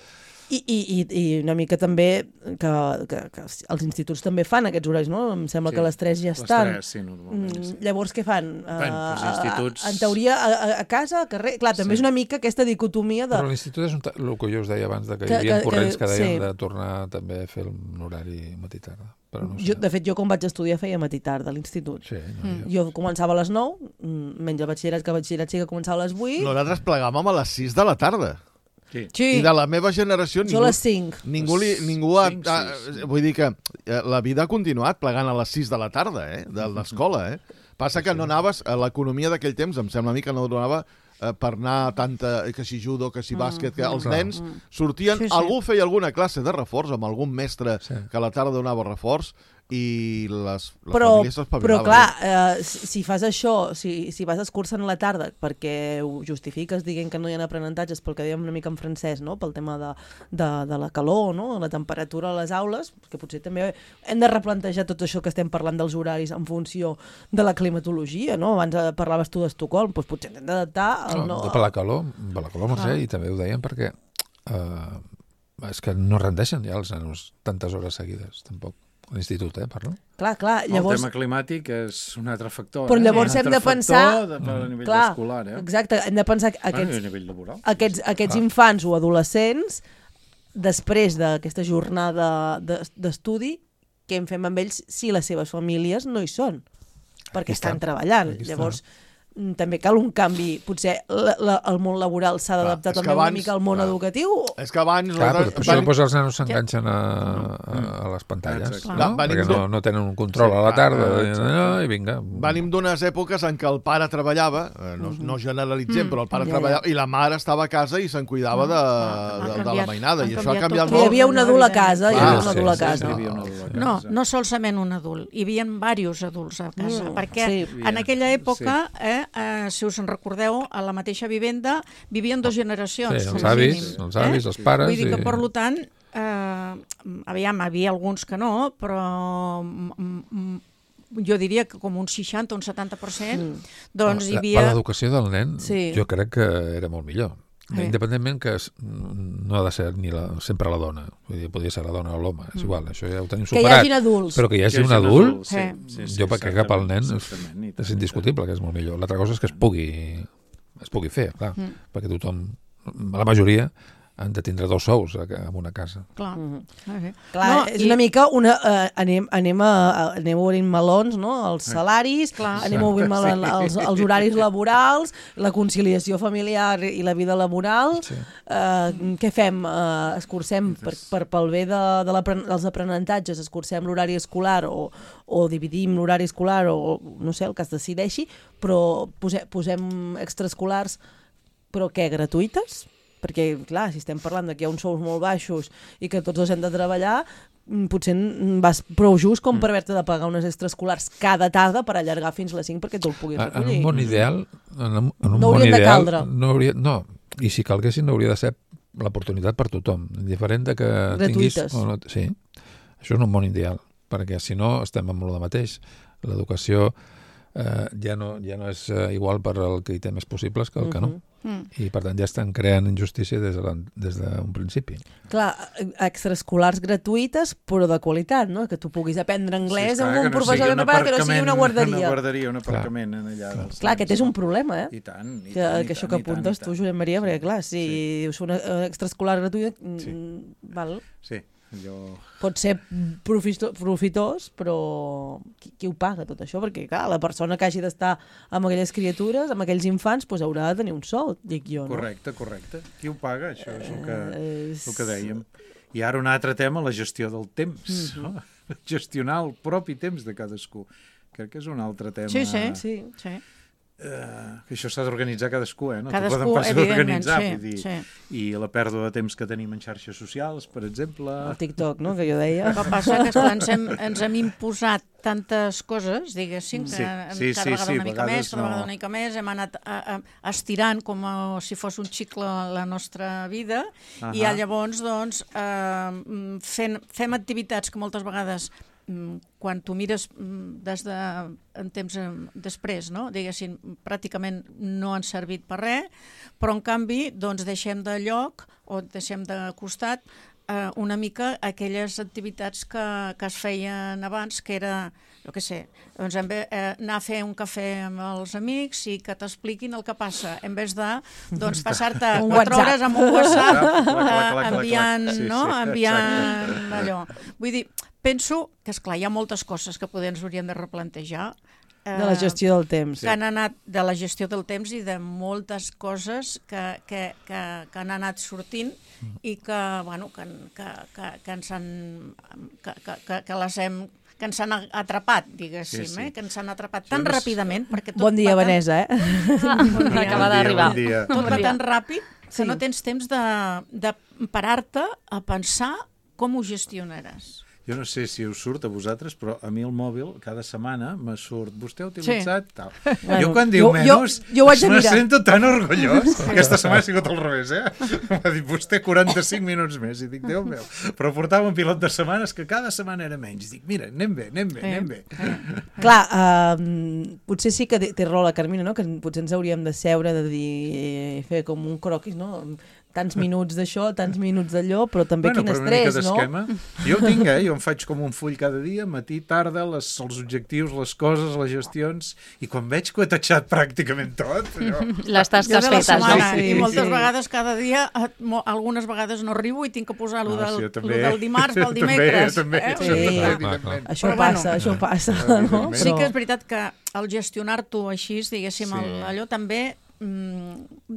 I, i, i- i una mica també que, que, que els instituts també fan aquests horaris, no? Em sembla Sí, que les tres ja les estan. tres, sí, normalment, sí. Mm, Llavors, què fan? Bueno, Uh, els instituts- En teoria, a, a- a casa, a carrer... Clar, també Sí. és una mica aquesta dicotomia de... Però l'institut és un ta- el que jo us deia abans, de que, Que- hi havia que- corrents que- que deien sí. de tornar també a fer un horari matí-tarda. Però no Jo, sé. de fet, jo quan vaig estudiar feia matí-tarda a l'institut. Sí, no, jo... Jo començava a les nou, mm, menys el batxillerat, que el batxillerat sí que començava a les vuit, Nosaltres plegàvem a les sis de la tarda. Sí. Sí. I de la meva generació jo ningú, a les cinc. ningú, li, ningú ha, Cinc, ha, sis. vull dir que eh, la vida ha continuat plegant a les sis de la tarda, eh, de l'escola, eh. Passa que no anaves, a l'economia d'aquell temps, em sembla a mi que no donava eh, per anar tanta, que si judo, que si bàsquet, que els Clar. nens sortien, Sí, sí. algú feia alguna classe de reforç amb algun mestre Sí. que a la tarda donava reforç i les, les Però, famílies però s'espavilaven. clar, eh, si, si fas això, si, si vas escurçant la tarda perquè ho justifiques dient que no hi ha aprenentatges pel que dèiem una mica en francès, no? Pel tema de, de, de la calor, no? La temperatura a les aules, que potser també hem de replantejar tot això que estem parlant dels horaris en funció de la climatologia, no? Abans eh, parlaves tu d'Estocolm, doncs potser hem d'adaptar el No, no... per la calor, per la calor, Mercè, i també ho deien perquè eh, és que no rendeixen ja els nanos tantes hores seguides, tampoc. A l'institut, eh, parlo. Clar, clar, El llavors... tema climàtic és un altre factor. Però eh? llavors Un hem altre de pensar- factor de, per a nivell Clar, escolar, eh? exacte, hem de pensar que Bueno, aquests, i a nivell laboral. aquests, aquests Clar. infants o adolescents, després d'aquesta jornada de- d'estudi, què en fem amb ells si les seves famílies no hi són? Perquè Aquí estan està. treballant. Aquí està. Llavors, mm, també cal un canvi. Potser la, la, el món laboral s'ha d'adaptar és que també una abans- mica al món clar. educatiu. És que abans... Clar, però, nosaltres- per això van- doncs, els nanos s'enganxen a, a, a les pantalles, Exacte. no? Va- venim Perquè no, de- no tenen un control Sí, a la clar, tarda, ah, i, exacte. i vinga. Venim d'unes èpoques en què el pare treballava, eh, no, no generalitzem, però el pare Ja, ja. treballava, i la mare estava a casa i se'n cuidava de, ha de, de la canviat- mainada, i han això ha canviat canviat tot. Hi molt. havia un adult a casa, hi Clar, havia un sí, adult a sí, casa. Hi havia un adult a No, casa. no solament un adult, hi havia diversos adults a casa, Mm, perquè sí. en aquella època, eh, eh, si us en recordeu, a la mateixa vivenda vivien dues generacions. Sí, com els a avis, mínim, els avis, els pares Vull dir que, i- per tant, eh, aviam, hi havia alguns que no, però mm, mm, jo diria que com un seixanta o un setanta per cent, doncs hi La- havia... Per l'educació del nen, Sí. jo crec que era molt millor. Sí. Independentment que es, no ha de ser ni la, sempre la dona, vull dir, podria ser la dona o l'home, és igual, això ja ho tenim Que hi superat. hagin adults. Però que hi hagi Que un hi hagi adult, sí, sí, sí, jo crec que pel nen és, exactament, i tant, és i indiscutible que és molt millor. L'altra cosa és que es pugui, es pugui fer, clar, Mm. perquè tothom, la majoria, han de tindre dos sous a- en una casa. Clar. Mhm. Ah, sí. Clar, No, és i- una mica una... Uh, anem, anem, a, a, anem obrint melons, no? Els salaris, Clar. anem obrint melons, els, els horaris laborals, la conciliació familiar i la vida laboral. Sí. Uh, què fem? Uh, escurcem per, per, pel bé de, de l'apren- dels aprenentatges, escurcem l'horari escolar o, o dividim l'horari escolar o no sé, el que es decideixi, però posem, posem extraescolars, però què, gratuïtes? Perquè, clar, si estem parlant de que hi ha uns sous molt baixos i que tots dos hem de treballar, mm, potser mm, vas prou just com per haver-te de pagar unes extraescolars cada tarda per allargar fins les cinc perquè tu el puguis En, en recollir. un món ideal, en, un- en un No món haurien de ideal, caldre. no, hauria, no, i si calguessin no hauria de ser l'oportunitat per tothom, indiferent de que tinguis... Gratuïtes. O no, sí, això és un món ideal, perquè si no estem amb el mateix. L'educació eh, ja, no, ja no és eh, igual per al que hi té més possibles que el que no. Mm. I per tant ja estan creant injustícia des de la, des d'un principi. Clar, extraescolars gratuïtes, però de qualitat, no? Que tu puguis aprendre anglès Sí, amb esclar, un que no professor sigui de un prepara, que no sigui una aparcament, guarderia. Una guarderia, un aparcament en allà. dels Clar, nens, aquest és un no? problema, eh? I tant, i Que, tant, i que això tant, que i tant, apuntes i tu, tant. Josep Maria, perquè clar, si és una eh, extraescolar gratuïta, mm, Sí. val, Sí, jo... pot ser profito, profitós, però qui, qui ho paga tot això? Perquè clar, la persona que hagi d'estar amb aquelles criatures, amb aquells infants, doncs haurà de tenir un sou, dic jo, no? Correcte, correcte. Qui ho paga? Això és el que, Eh, és- el que dèiem. I ara un altre tema, la gestió del temps. Mhm. no? Gestionar el propi temps de cadascú. Crec que és un altre tema Sí, sí. Sí. Sí. Uh, que això s'ha d'organitzar cadascú, eh? No Cadascú, poden pas evidentment, organitzar, sí, vull dir. sí. I la pèrdua de temps que tenim en xarxes socials, per exemple... El TikTok, no?, que jo deia. El que passa que esclar, ens, hem, ens hem imposat tantes coses, diguéssim, que Sí, sí, cada sí, vegada sí, una mica vegades més, cada no. vegada una mica més, hem anat a, a, estirant com a, si fos un xicle la nostra vida, Ahà. i llavors, doncs, eh, fent, fem activitats que moltes vegades quan tu mires des de, en temps després, no? Diguéssim, pràcticament no han servit per res, però en canvi doncs deixem de lloc o deixem de costat eh, una mica aquelles activitats que, que es feien abans, que era, jo què sé, doncs en ve, eh, anar a fer un cafè amb els amics i que t'expliquin el que passa, en vez de doncs, passar-te Un quatre WhatsApp. hores amb un WhatsApp Clac, clac, clac, eh, clac, enviant, clac. Sí, no? sí, enviant allò. Vull dir, penso que, esclar, hi ha moltes coses que poder ens hauríem de replantejar. Eh, De la gestió del temps. que han anat de la gestió del temps i de moltes coses que, que, que, que han anat sortint i que, bueno, que, que, que, que ens han que, que, que, que les hem que ens han atrapat, diguéssim, Sí, sí. eh? que ens han atrapat Jo tan no sé- ràpidament. Perquè tot Bon dia, va tan- Vanessa, eh? Bon dia. Acaba Bon dia, d'arribar. bon dia. Tot Bon va dia. tan ràpid que Sí. no tens temps de, de parar-te a pensar com ho gestionaràs. Jo no sé si us surt a vosaltres, però a mi el mòbil cada setmana me surt. Vostè ha utilitzat sí. tal. Bueno, jo quan diu jo- menys, jo- jo ho haig de me mirar. sento tan orgullós. Aquesta setmana ha sigut al revés, eh? M'ha dit vostè quaranta-cinc minuts més. I dic, Déu meu. Però portava un pilot de setmanes que cada setmana era menys. I dic, mira, anem bé, anem bé, anem bé. Clar, uh, potser sí que té té raó la Carmina, no? Que potser ens hauríem de seure, de dir, fer com un croquis, no? Tants minuts d'això, tants minuts d'allò, però també Bueno, quin però una mica estrès, no? d'esquema. Jo ho tinc, eh? Jo em faig com un full cada dia, matí, tarda, les, els objectius, les coses, les gestions, i quan veig que ho he tatxat pràcticament tot, allò... Les Jo tasques de la fetes, setmana, no? Sí, i moltes sí. vegades cada dia, eh, mo- algunes vegades no arribo i tinc que posar lo No, del, sí, jo lo també. del dimarts pel També, dimecres. també, eh? Sí. Vull dir que- evidentment. Això Però passa, bueno. això passa, no? Evidentment. Sí que és Però, veritat que el gestionar-t'ho així, diguéssim, Sí. el, allò també mm,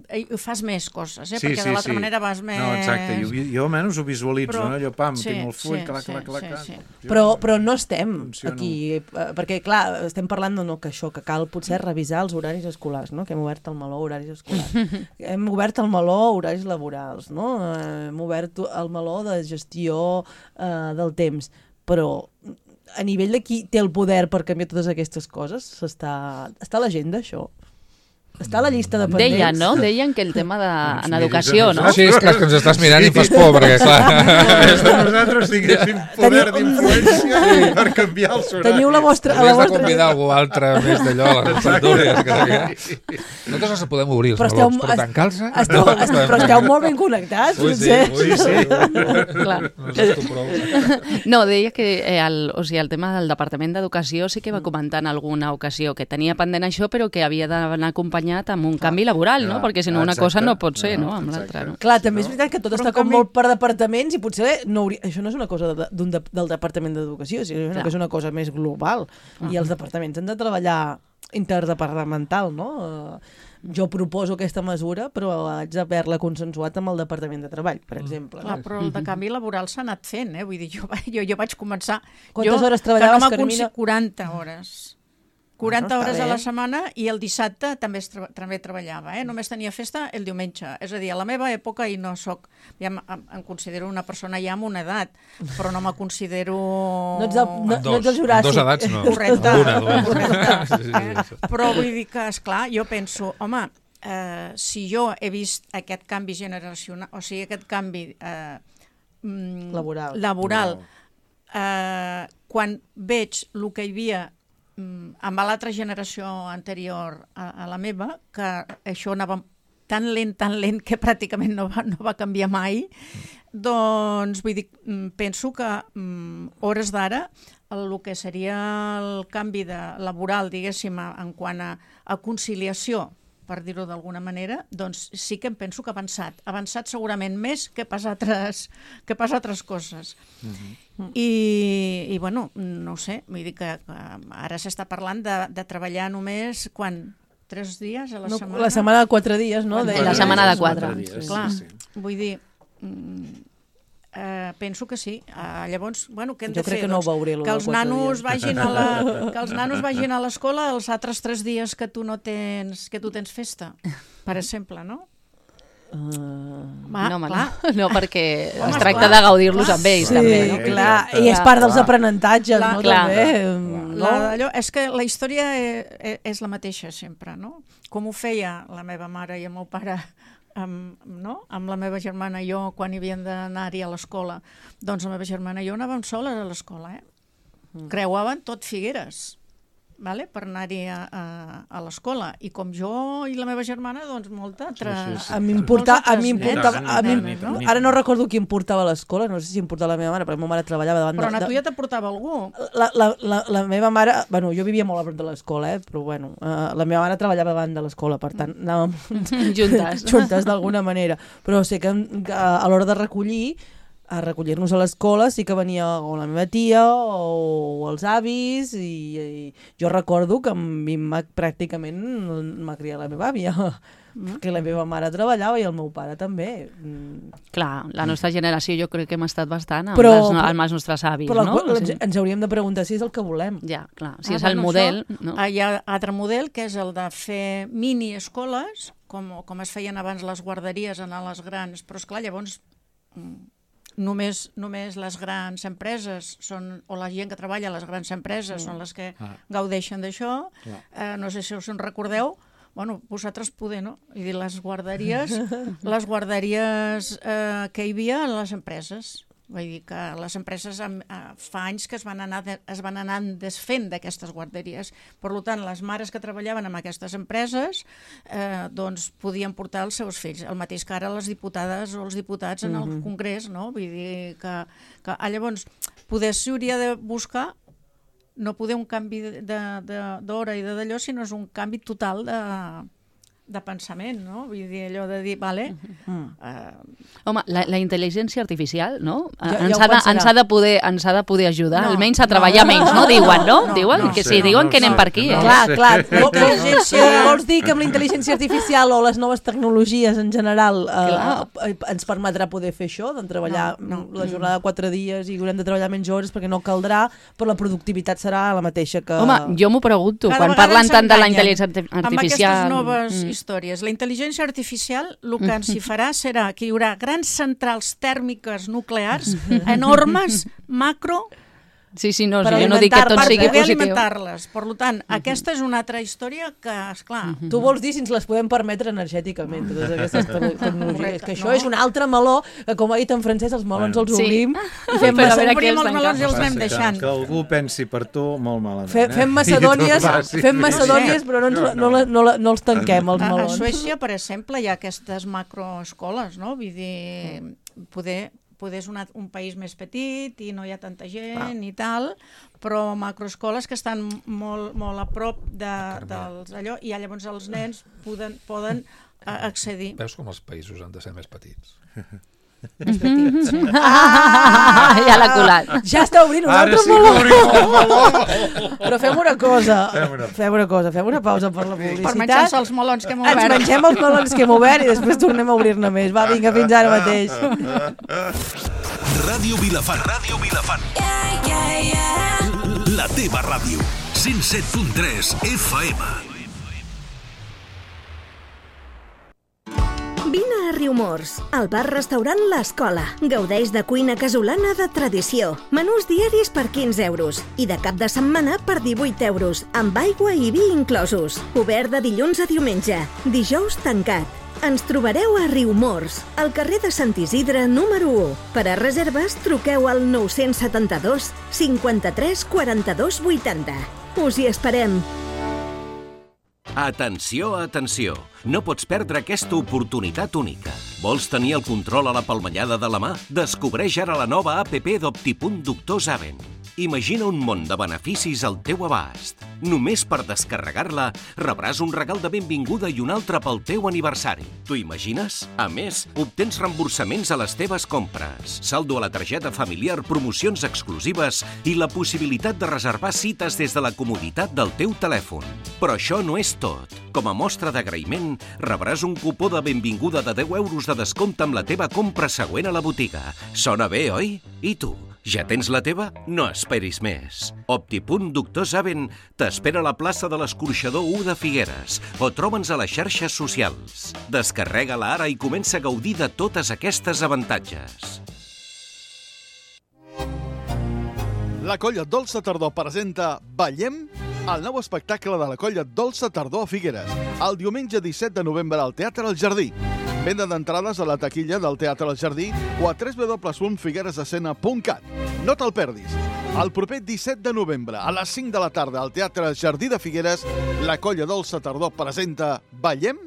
eh, fas més coses, eh? Sí, perquè sí, de l'altra sí. manera vas més... No, exacte, jo, vi- jo almenys ho visualitzo, Però- no? Allò, pam, sí, tinc el full, sí, clac, sí, clac, clac, sí, clac. sí. Jo- però, però no estem Funciono. aquí, eh, perquè clar, estem parlant de no, que això, que cal potser revisar els horaris escolars, no? Que hem obert el meló horaris escolars. Hem obert el meló horaris laborals, no? Eh, Hem obert el meló de gestió eh, del temps, però a nivell de qui té el poder per canviar totes aquestes coses, està, està a l'agenda, això? Està a la llista de pendents? Deien, no? Deien que el tema de, Doncs en miris educació, a no? nosaltres. Sí, és clar, és que ens estàs mirant i em fas por, perquè, clar... És que nosaltres tinguéssim poder d'influència per canviar els horaris. Teniu la vostra... La Hauries de vostra... convidar algú altre més d'allò, a les tertúlies. Que... Nosaltres els podem obrir, els Però melons, esteu- però est- tancar-se... Esteu, est, però esteu molt ben connectats, Ui, sí, potser. ui, sí. Clar. No sé tu prou. No, deia que eh, el, o sigui, el tema del Departament d'Educació sí que va comentar en alguna ocasió que tenia pendent això, però que havia d'anar acompanyat amb un canvi laboral, no? clar, Perquè si no una exacte. cosa no pot ser, No, no? Amb exacte. l'altra, no? Clar, també és veritat que tot Però està en com canvi- molt per departaments i potser no hauria... això no és una cosa de, d'un de, del Departament d'Educació, sinó Clar. que és una cosa més global. I els departaments han de treballar interdepartamental, no? Eh, Jo proposo aquesta mesura, però haig d'haver-la consensuat amb el Departament de Treball, per exemple. Clar, però el de canvi laboral s'ha anat fent, eh? Vull dir, jo, va- jo, jo vaig començar... Quantes jo, hores que no treballaves, m'ha Carmina? aconse- quaranta hores. quaranta Bueno, està hores a bé. la setmana i el dissabte també, es tra també treballava. Eh? Només tenia festa el diumenge. És a dir, a la meva època, i no soc... Ja em, em considero una persona ja amb una edat, però no me considero... No ets, el, no, Amb no ets el dos, Juràssic. amb dos edats no. Correcte. Amb una, només. Correcte. Sí, sí, Eh? sí. Però vull dir que, esclar, jo penso, home, eh, si jo he vist aquest canvi generacional, o sigui, aquest canvi eh, mm, Laboral. laboral eh, quan veig el que hi havia mm, amb l'altra generació anterior a, a la meva, que això anava tan lent, tan lent, que pràcticament no va, no va canviar mai, doncs vull dir, mm, penso que mm, hores d'ara el que seria el canvi de laboral, diguéssim, a- en quant a, a conciliació, per dir-ho d'alguna manera, doncs sí que em penso que ha avançat. Ha avançat segurament més que pas altres, que pas altres coses. I, I, bueno, no ho sé, vull dir que, que ara s'està parlant de, de treballar només, quan? Tres dies a la No, setmana? la setmana de quatre dies, no? Quan- Deia. La setmana de quatre. dies, Clar, sí, sí. vull dir, mm, Eh, penso que sí. Uh, llavors, bueno, què hem Jo de fer? crec que no doncs, ho veuré, lo que els dels quatre nanos dies. vagin a la, que els nanos vagin a l'escola els altres tres dies que tu no tens, que tu tens festa, per exemple, no? Uh... Va, no, home, clar. no, no, perquè Home, es tracta clar, de gaudir-los clar. amb ells, Sí, també. Sí, No? clar, exacte. i és part dels Clar. aprenentatges, Clar. no? Clar. També. La, allò, és que la història és, és la mateixa sempre, no? Com ho feia la meva mare i el meu pare amb, no? amb la meva germana i jo quan hi havien d'anar-hi a l'escola. Doncs la meva germana i jo anàvem soles a l'escola, eh? Mm. Creuaven tot Figueres, vale? Per anar-hi a, a, a l'escola. I com jo i la meva germana, doncs molta altra... Sí, sí, sí. A mi em portava... A mi em Molts portava altres a mi, nens, no? ara no recordo qui em portava a l'escola, no sé si em portava la meva mare, però la meva mare treballava davant Però de... a tu ja te portava algú. La, la, la, la meva mare... Bueno, jo vivia molt a prop de l'escola, eh? Però bueno, uh, la meva mare treballava davant de l'escola, per tant, anàvem Juntes. juntes d'alguna manera. Però sé que, que a l'hora de recollir, a recollir-nos a l'escola sí que venia o la meva tia o els avis i, i jo recordo que a mi m'ha, pràcticament m'ha criat la meva àvia mm. perquè la meva mare treballava i el meu pare també. Clar, la nostra generació jo crec que hem estat bastant amb, Però- les, amb els nostres avis, Però no? ens, ens hauríem de preguntar si és el que volem. Ja, clar, si Ah, és el bueno, model... això, No? ah, hi ha altre model, que és el de fer mini-escoles, com, com es feien abans les guarderies, anar a les grans, però esclar, llavors mm, només, només les grans empreses són, o la gent que treballa a les grans empreses mm. són les que Ah. gaudeixen d'això. Clar. Eh, no sé si us en recordeu, bueno, vosaltres poder, no? I dir, les guarderies, les guarderies eh, que hi havia a les empreses. Vull dir que les empreses eh, fa anys que es van anar, de, es van anar desfent d'aquestes guarderies. Per tant, les mares que treballaven en aquestes empreses eh, doncs podien portar els seus fills. El mateix que ara les diputades o els diputats en el Congrés, no? Vull dir que, que ah, llavors poder s'hauria de buscar no poder un canvi d'hora i de d'allò, sinó és un canvi total de, de pensament, no? Vull dir, allò de dir, vale... Mm. Eh, Home, la, la intel·ligència artificial, no? Ja- ens, ja ho ha de, pensarà. ens, ha de poder, ens ha de poder ajudar, No, almenys a no. treballar menys, no? Diuen, no? No, diuen no que sé, sí, diuen no que anem sé, per aquí, no eh? Clar, sé. clar. La Vols, intel·ligència- vols dir que amb la intel·ligència artificial o les noves tecnologies en general eh, eh, ens permetrà poder fer això, de treballar No, no. la jornada de quatre dies i haurem de treballar menys hores perquè no caldrà, però la productivitat serà la mateixa que... Home, jo m'ho pregunto, Cada quan vegada parlen ens tant de la enganyen intel·ligència arti- amb artificial... aquestes noves Mm. històries. La intel·ligència artificial el que ens hi farà serà que hi haurà grans centrals tèrmiques nuclears enormes, macro, Sí, sí, no, Per jo no dic que tot alimentar-les, sigui per poder positiu. alimentar-les. Per tant, aquesta és una altra història que, esclar, Tu vols dir si ens les podem permetre energèticament, totes aquestes te- tecnologies. Correcte, Que això no. és un altre meló, que com ha dit en francès, els melons Bueno. els Sí. obrim i fem, Però a massa, veure què obrim els els tanca. melons i els Passa anem que- deixant. Que algú pensi per tu molt malament. fe, eh? fem I macedònies, tu facis fem bé. macedònies però no, ens, no, no, no, no, no els tanquem, els A, a melons. Suècia, per exemple, hi ha aquestes macroescoles, no? Vull dir, poder, poder és una, un país més petit i no hi ha tanta gent i tal, però macroescoles que estan molt, molt a prop de, dels allò, i llavors els nens poden, poden eh, accedir. Veus com els països han de ser més petits? Més petits. Ah, ja l'ha colat. Ja està obrint un Ara altre sí que meló. obrim el meló. Però fem una cosa, Fem una- fem una cosa, fem una pausa per la Per publicitat. menjar-se els melons que hem Ens obert. mengem els melons que hem obert i després tornem a obrir-ne més. Va, vinga, fins ara mateix. Ràdio Vilafant. Ràdio Vilafant. La teva ràdio. cent set punt tres F M. Vine a Riumors, al bar-restaurant L'Escola. Gaudeix de cuina casolana de tradició. Menús diaris per quinze euros i de cap de setmana per divuit euros, amb aigua i vi inclosos. Obert de dilluns a diumenge. Dijous tancat. Ens trobareu a Riumors, al carrer de Sant Isidre número u. Per a reserves, truqueu al nou set dos cinquanta-tres quaranta-dos vuitanta. Us hi esperem. Atenció, atenció. No pots perdre aquesta oportunitat única. Vols tenir el control a la palmellada de la mà? Descobreix ara la nova app d'Optipunt Doctor Saben. Imagina un món de beneficis al teu abast. Només per descarregar-la rebràs un regal de benvinguda i un altre pel teu aniversari. T'ho imagines? A més, obtens reemborsaments a les teves compres, saldo a la targeta familiar, promocions exclusives i la possibilitat de reservar cites des de la comoditat del teu telèfon. Però això no és tot. Com a mostra d'agraïment, rebràs un cupó de benvinguda de deu euros de descompte amb la teva compra següent a la botiga. Sona bé, oi? I tu? Ja tens la teva? No esperis més. Optipunt Doctor Saben t'espera a la plaça de l'Escorxador u de Figueres o troba'ns a les xarxes socials. Descarrega-la ara i comença a gaudir de totes aquestes avantatges. La Colla Dolça Tardor presenta Ballem, el nou espectacle de la Colla Dolça Tardor a Figueres, el diumenge disset de novembre al Teatre El Jardí. Venda d'entrades a la taquilla del Teatre El Jardí o a w w w punt figueresescena punt cat. No te'l perdis. El proper disset de novembre, a les cinc de la tarda, al Teatre El Jardí de Figueres, la Colla Dolça Tardor presenta Ballem.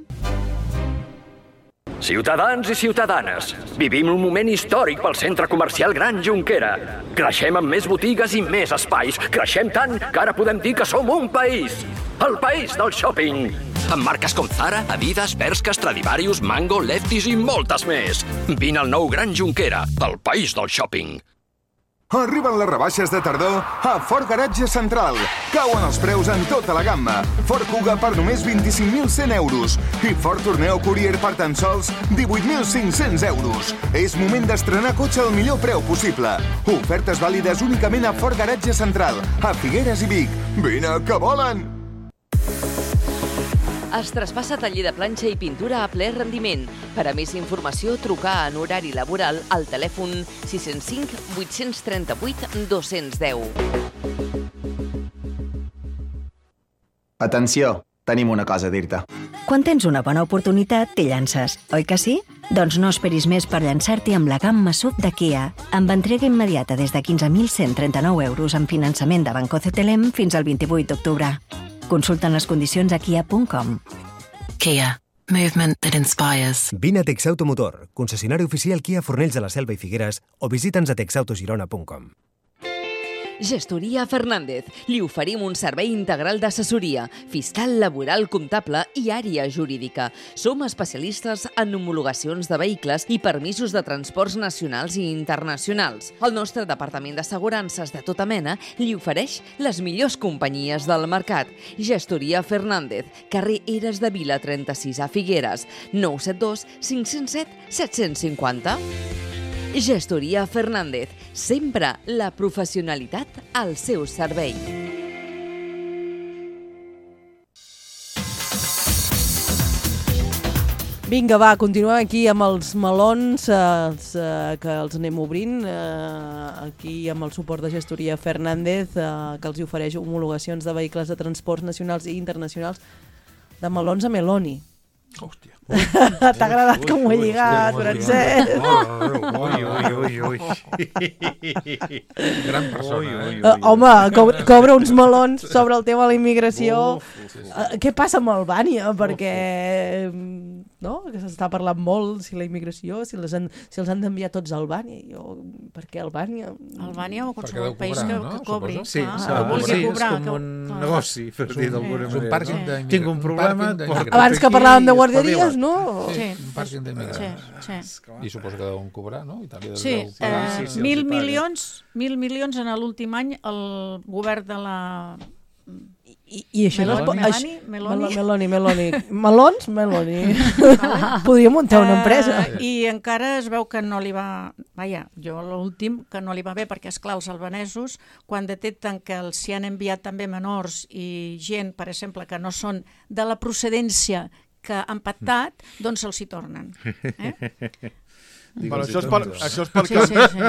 Ciutadans i ciutadanes, vivim un moment històric pel centre comercial Gran Jonquera. Creixem amb més botigues i més espais. Creixem tant que ara podem dir que som un país. El país del shopping. Amb marques com Zara, Adidas, Bershka, Stradivarius, Mango, Lefties i moltes més. Vine al nou Gran Jonquera, el país del shopping. Arriben les rebaixes de tardor a Ford Garatge Central. Cauen els preus en tota la gamma. Ford Kuga per només vint-i-cinc mil cent euros i Ford Tourneo Courier per tan sols divuit mil cinc-cents euros. És moment d'estrenar cotxe al millor preu possible. Ofertes vàlides únicament a Ford Garatge Central, a Figueres i Vic. Vine, que volen! Es traspassa taller de planxa i pintura a ple rendiment. Per a més informació, trucar en horari laboral al telèfon sis zero cinc vuit tres vuit dos un zero. Atenció, tenim una cosa a dir-te. Quan tens una bona oportunitat, t'hi llances, oi que sí? Doncs no esperis més per llançar-t'hi amb la gamma S U V de Kia. Amb entrega immediata des de quinze mil cent trenta-nou euros amb finançament de Banco C T L M fins al vint-i-vuit d'octubre. Consulten les condicions a kia punt com. Kia. Movement that inspires. Vine a Texautomotor, concessionari oficial Kia Fornells de la Selva i Figueres, o visita'ns a texautogirona punt com. Gestoria Fernández. Li oferim un servei integral d'assessoria, fiscal, laboral, comptable i àrea jurídica. Som especialistes en homologacions de vehicles i permisos de transports nacionals i internacionals. El nostre departament d'assegurances de tota mena li ofereix les millors companyies del mercat. Gestoria Fernández, carrer Eres de Vila trenta-sis a Figueres, nou set dos cinc zero set set cinc zero. Gestoria Fernández, sempre la professionalitat al seu servei. Vinga, va, continuem aquí amb els melons, eh, que els anem obrint, eh, aquí amb el suport de Gestoria Fernández, eh, que els ofereix homologacions de vehicles de transports nacionals i internacionals de melons a Meloni. Hòstia. T'ha agradat com ho he lligat, Francesc? Ui, ui, ui, ui. Gran persona, eh? Uh, home, cobra, cobra uns melons sobre el tema de la immigració. Uh, què passa amb Albània? Perquè no? Que s'està parlant molt si la immigració, si, les han, si els han d'enviar tots a Albània. Jo, per què Albània? Albània o qualsevol país que, no? que cobri. Sí, ah, sí, vulgui sí, cobrar, és com que, un clar. negoci, per dir d'alguna És un manera. pàrquing No? d'immigrants. Tinc un problema... Un pàrquing Abans que parlàvem de guarderies, no? Sí. Un pàrquing d'immigrants. Sí, sí. I suposo que deuen cobrar, no? Itàlia Sí, deu cobrar. eh, sí, sí, mil els hi paguen. milions, mil milions en l'últim any el govern de la... I, i això no es pot... Meloni, això- Meloni. Meloni, Meloni. Melons, Meloni. Podria muntar una empresa. Eh, I encara es veu que no li va... Vaja, jo l'últim, que no li va bé, perquè, esclar, els albanesos, quan detecten que els s'hi han enviat també menors i gent, per exemple, que no són de la procedència que han pactat, doncs se'ls hi tornen. Eh? Però això és, per, això és perquè... Sí, sí, sí.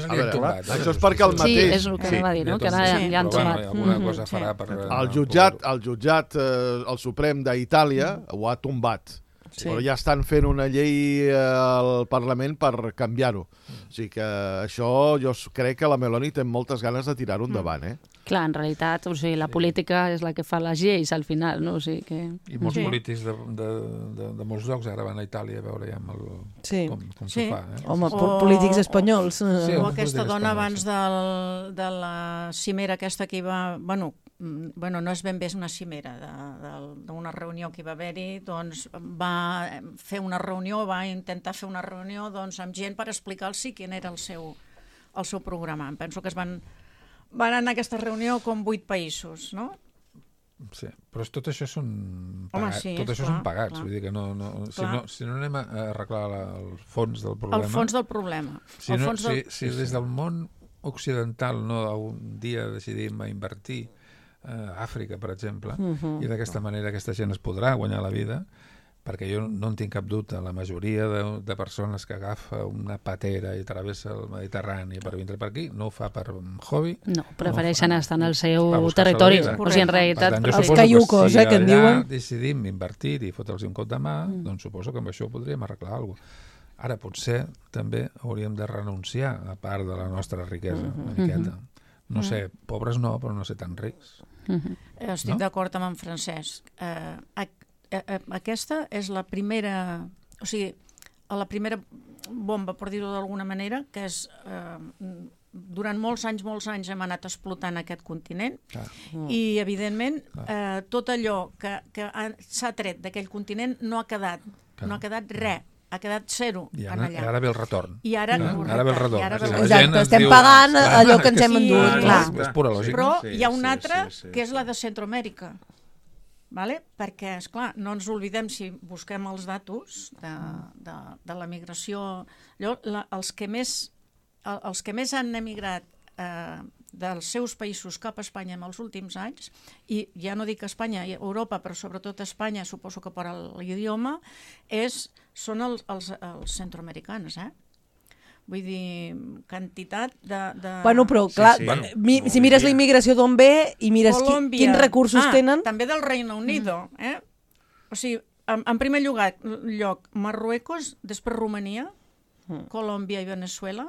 A veure, això és perquè el Sí, mateix... és el que sí. va dir, no? Que ara Sí. ja han Però, bueno, trobat. alguna Mhm. cosa farà per... El jutjat, el jutjat eh, el Suprem d'Itàlia ho ha tombat. Sí. Però ja estan fent una llei eh, al Parlament per canviar-ho. O sigui que això jo crec que la Meloni té moltes ganes de tirar-ho endavant, eh? Clar, en realitat, o sigui, la política és la que fa les lleis al final, no? O sigui que... I molts Sí. polítics de, de, de, de molts llocs ara van a Itàlia a veure ja amb el, Sí. com, com Sí. s'ho fa. Eh? Home, O- po- polítics espanyols. Sí, eh, O alguns aquesta polítics dona espanyols, abans del, de la cimera aquesta que hi va... Bueno, mm, bueno no és ben bé una cimera, de- de- d'una reunió que hi va haver-hi, doncs va fer una reunió, va intentar fer una reunió doncs, amb gent per explicar-los quin era el seu, el seu programa. Em penso que es van, van anar a aquesta reunió com vuit països, no? Sí, però tot això són Home, pagats, sí, tot això clar, són pagats, clar. vull dir que no, no, si, Clar. no, si no anem a arreglar la, el fons del problema... El fons del problema. Si, el no, fons del... si, si des del món occidental no un dia decidim a invertir a Àfrica, per exemple, Mhm. i d'aquesta manera aquesta gent es podrà guanyar la vida, perquè jo no en tinc cap dubte, la majoria de, de persones que agafa una patera i travessa el Mediterrani per vindre per aquí, no ho fa per hobby. No, prefereixen no estar en el seu per buscar-se la territori. vida. O sigui, en realitat... Per tant, jo Els suposo caiucos, si eh, que en allà diuen. decidim invertir i fotre'ls un cop de mà, Mm. doncs suposo que amb això podríem arreglar alguna cosa. Ara, potser també hauríem de renunciar a part de la nostra riquesa, una miqueta. No sé, pobres no, però no ser tan rics. Eh, Estic No? d'acord amb en Francesc. Eh, ac- eh, eh, aquesta és la primera, o sigui, la primera bomba, per dir-ho d'alguna manera, que és... Eh, durant molts anys, molts anys hem anat explotant aquest continent Clar. i, evidentment, eh, tot allò que, que ha- s'ha tret d'aquell continent no ha quedat, Clar. no ha quedat res, ha quedat zero I en ara, allà. ara ve el retorn. I ara, Clar, correcte, ara ve el retorn. i ara ve el O sigui, la retorn. gent Exacte, es estem diu, pagant "Clar, allò que ens hem és- endut, és- clar. És pura lògica. Però Sí, hi ha una sí, altra, sí, sí. que és la de Centroamèrica, vale? Perquè, és clar, no ens oblidem, si busquem els datos de, de, de la migració, allò, la, els, que més, el, els que més han emigrat eh, dels seus països cap a Espanya en els últims anys, i ja no dic Espanya, i Europa, però sobretot Espanya, suposo que per l'idioma, és, són els, els, els centroamericans, eh? Vull dir, quantitat de... de... Bueno, però clar, sí. bueno, mi, si mires la immigració d'on ve i mires qui, Colòmbia. quins recursos ah, tenen... també del Reino Unido. Eh? O sigui, en, en primer lloc, lloc, Marruecos, després Romania, Colòmbia i Venezuela,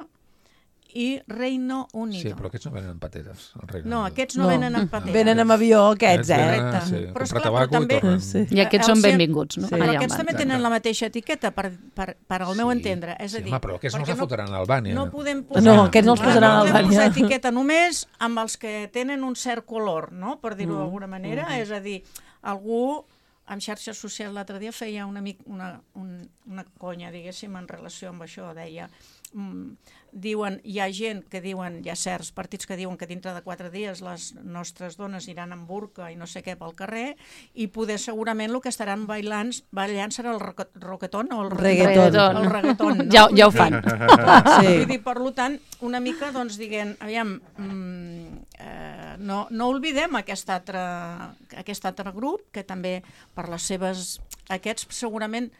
i Reino Unido. Sí, però aquests no venen en pateres. al Regne No, Unit. aquests no, venen en pateres. Venen amb avió, aquests, eh? venen, Correcte. sí, Però, comprar esclar, tabaco però també- i tornen. Sí. I aquests El són seu- benvinguts, no? Sí. Però Allà on aquests van. també tenen la mateixa etiqueta, per, per, per al meu entendre. És a Sí, dir, home, però aquests no perquè els fotran a Albània. No podem posar, No, aquests no els clar, posaran a no podem Albània. posar etiqueta només amb els que tenen un cert color, no? Per dir-ho d'alguna manera. És a dir, algú en xarxes socials l'altre dia feia una, mic, una, un, una conya, diguéssim, en relació amb això. Deia, mm, diuen, hi ha gent que diuen, hi ha certs partits que diuen que dintre de quatre dies les nostres dones iran amb burca i no sé què pel carrer, i poder segurament el que estaran bailant, ballant serà el roque- roquetón o el Reggaeton. El reggaeton, no? Ja, ja ho fan. Sí. Vull dir, per tant, una mica, doncs, diguem, aviam, mm, eh, no, no oblidem aquest altre, aquest altre grup, que també, per les seves... Aquests, segurament,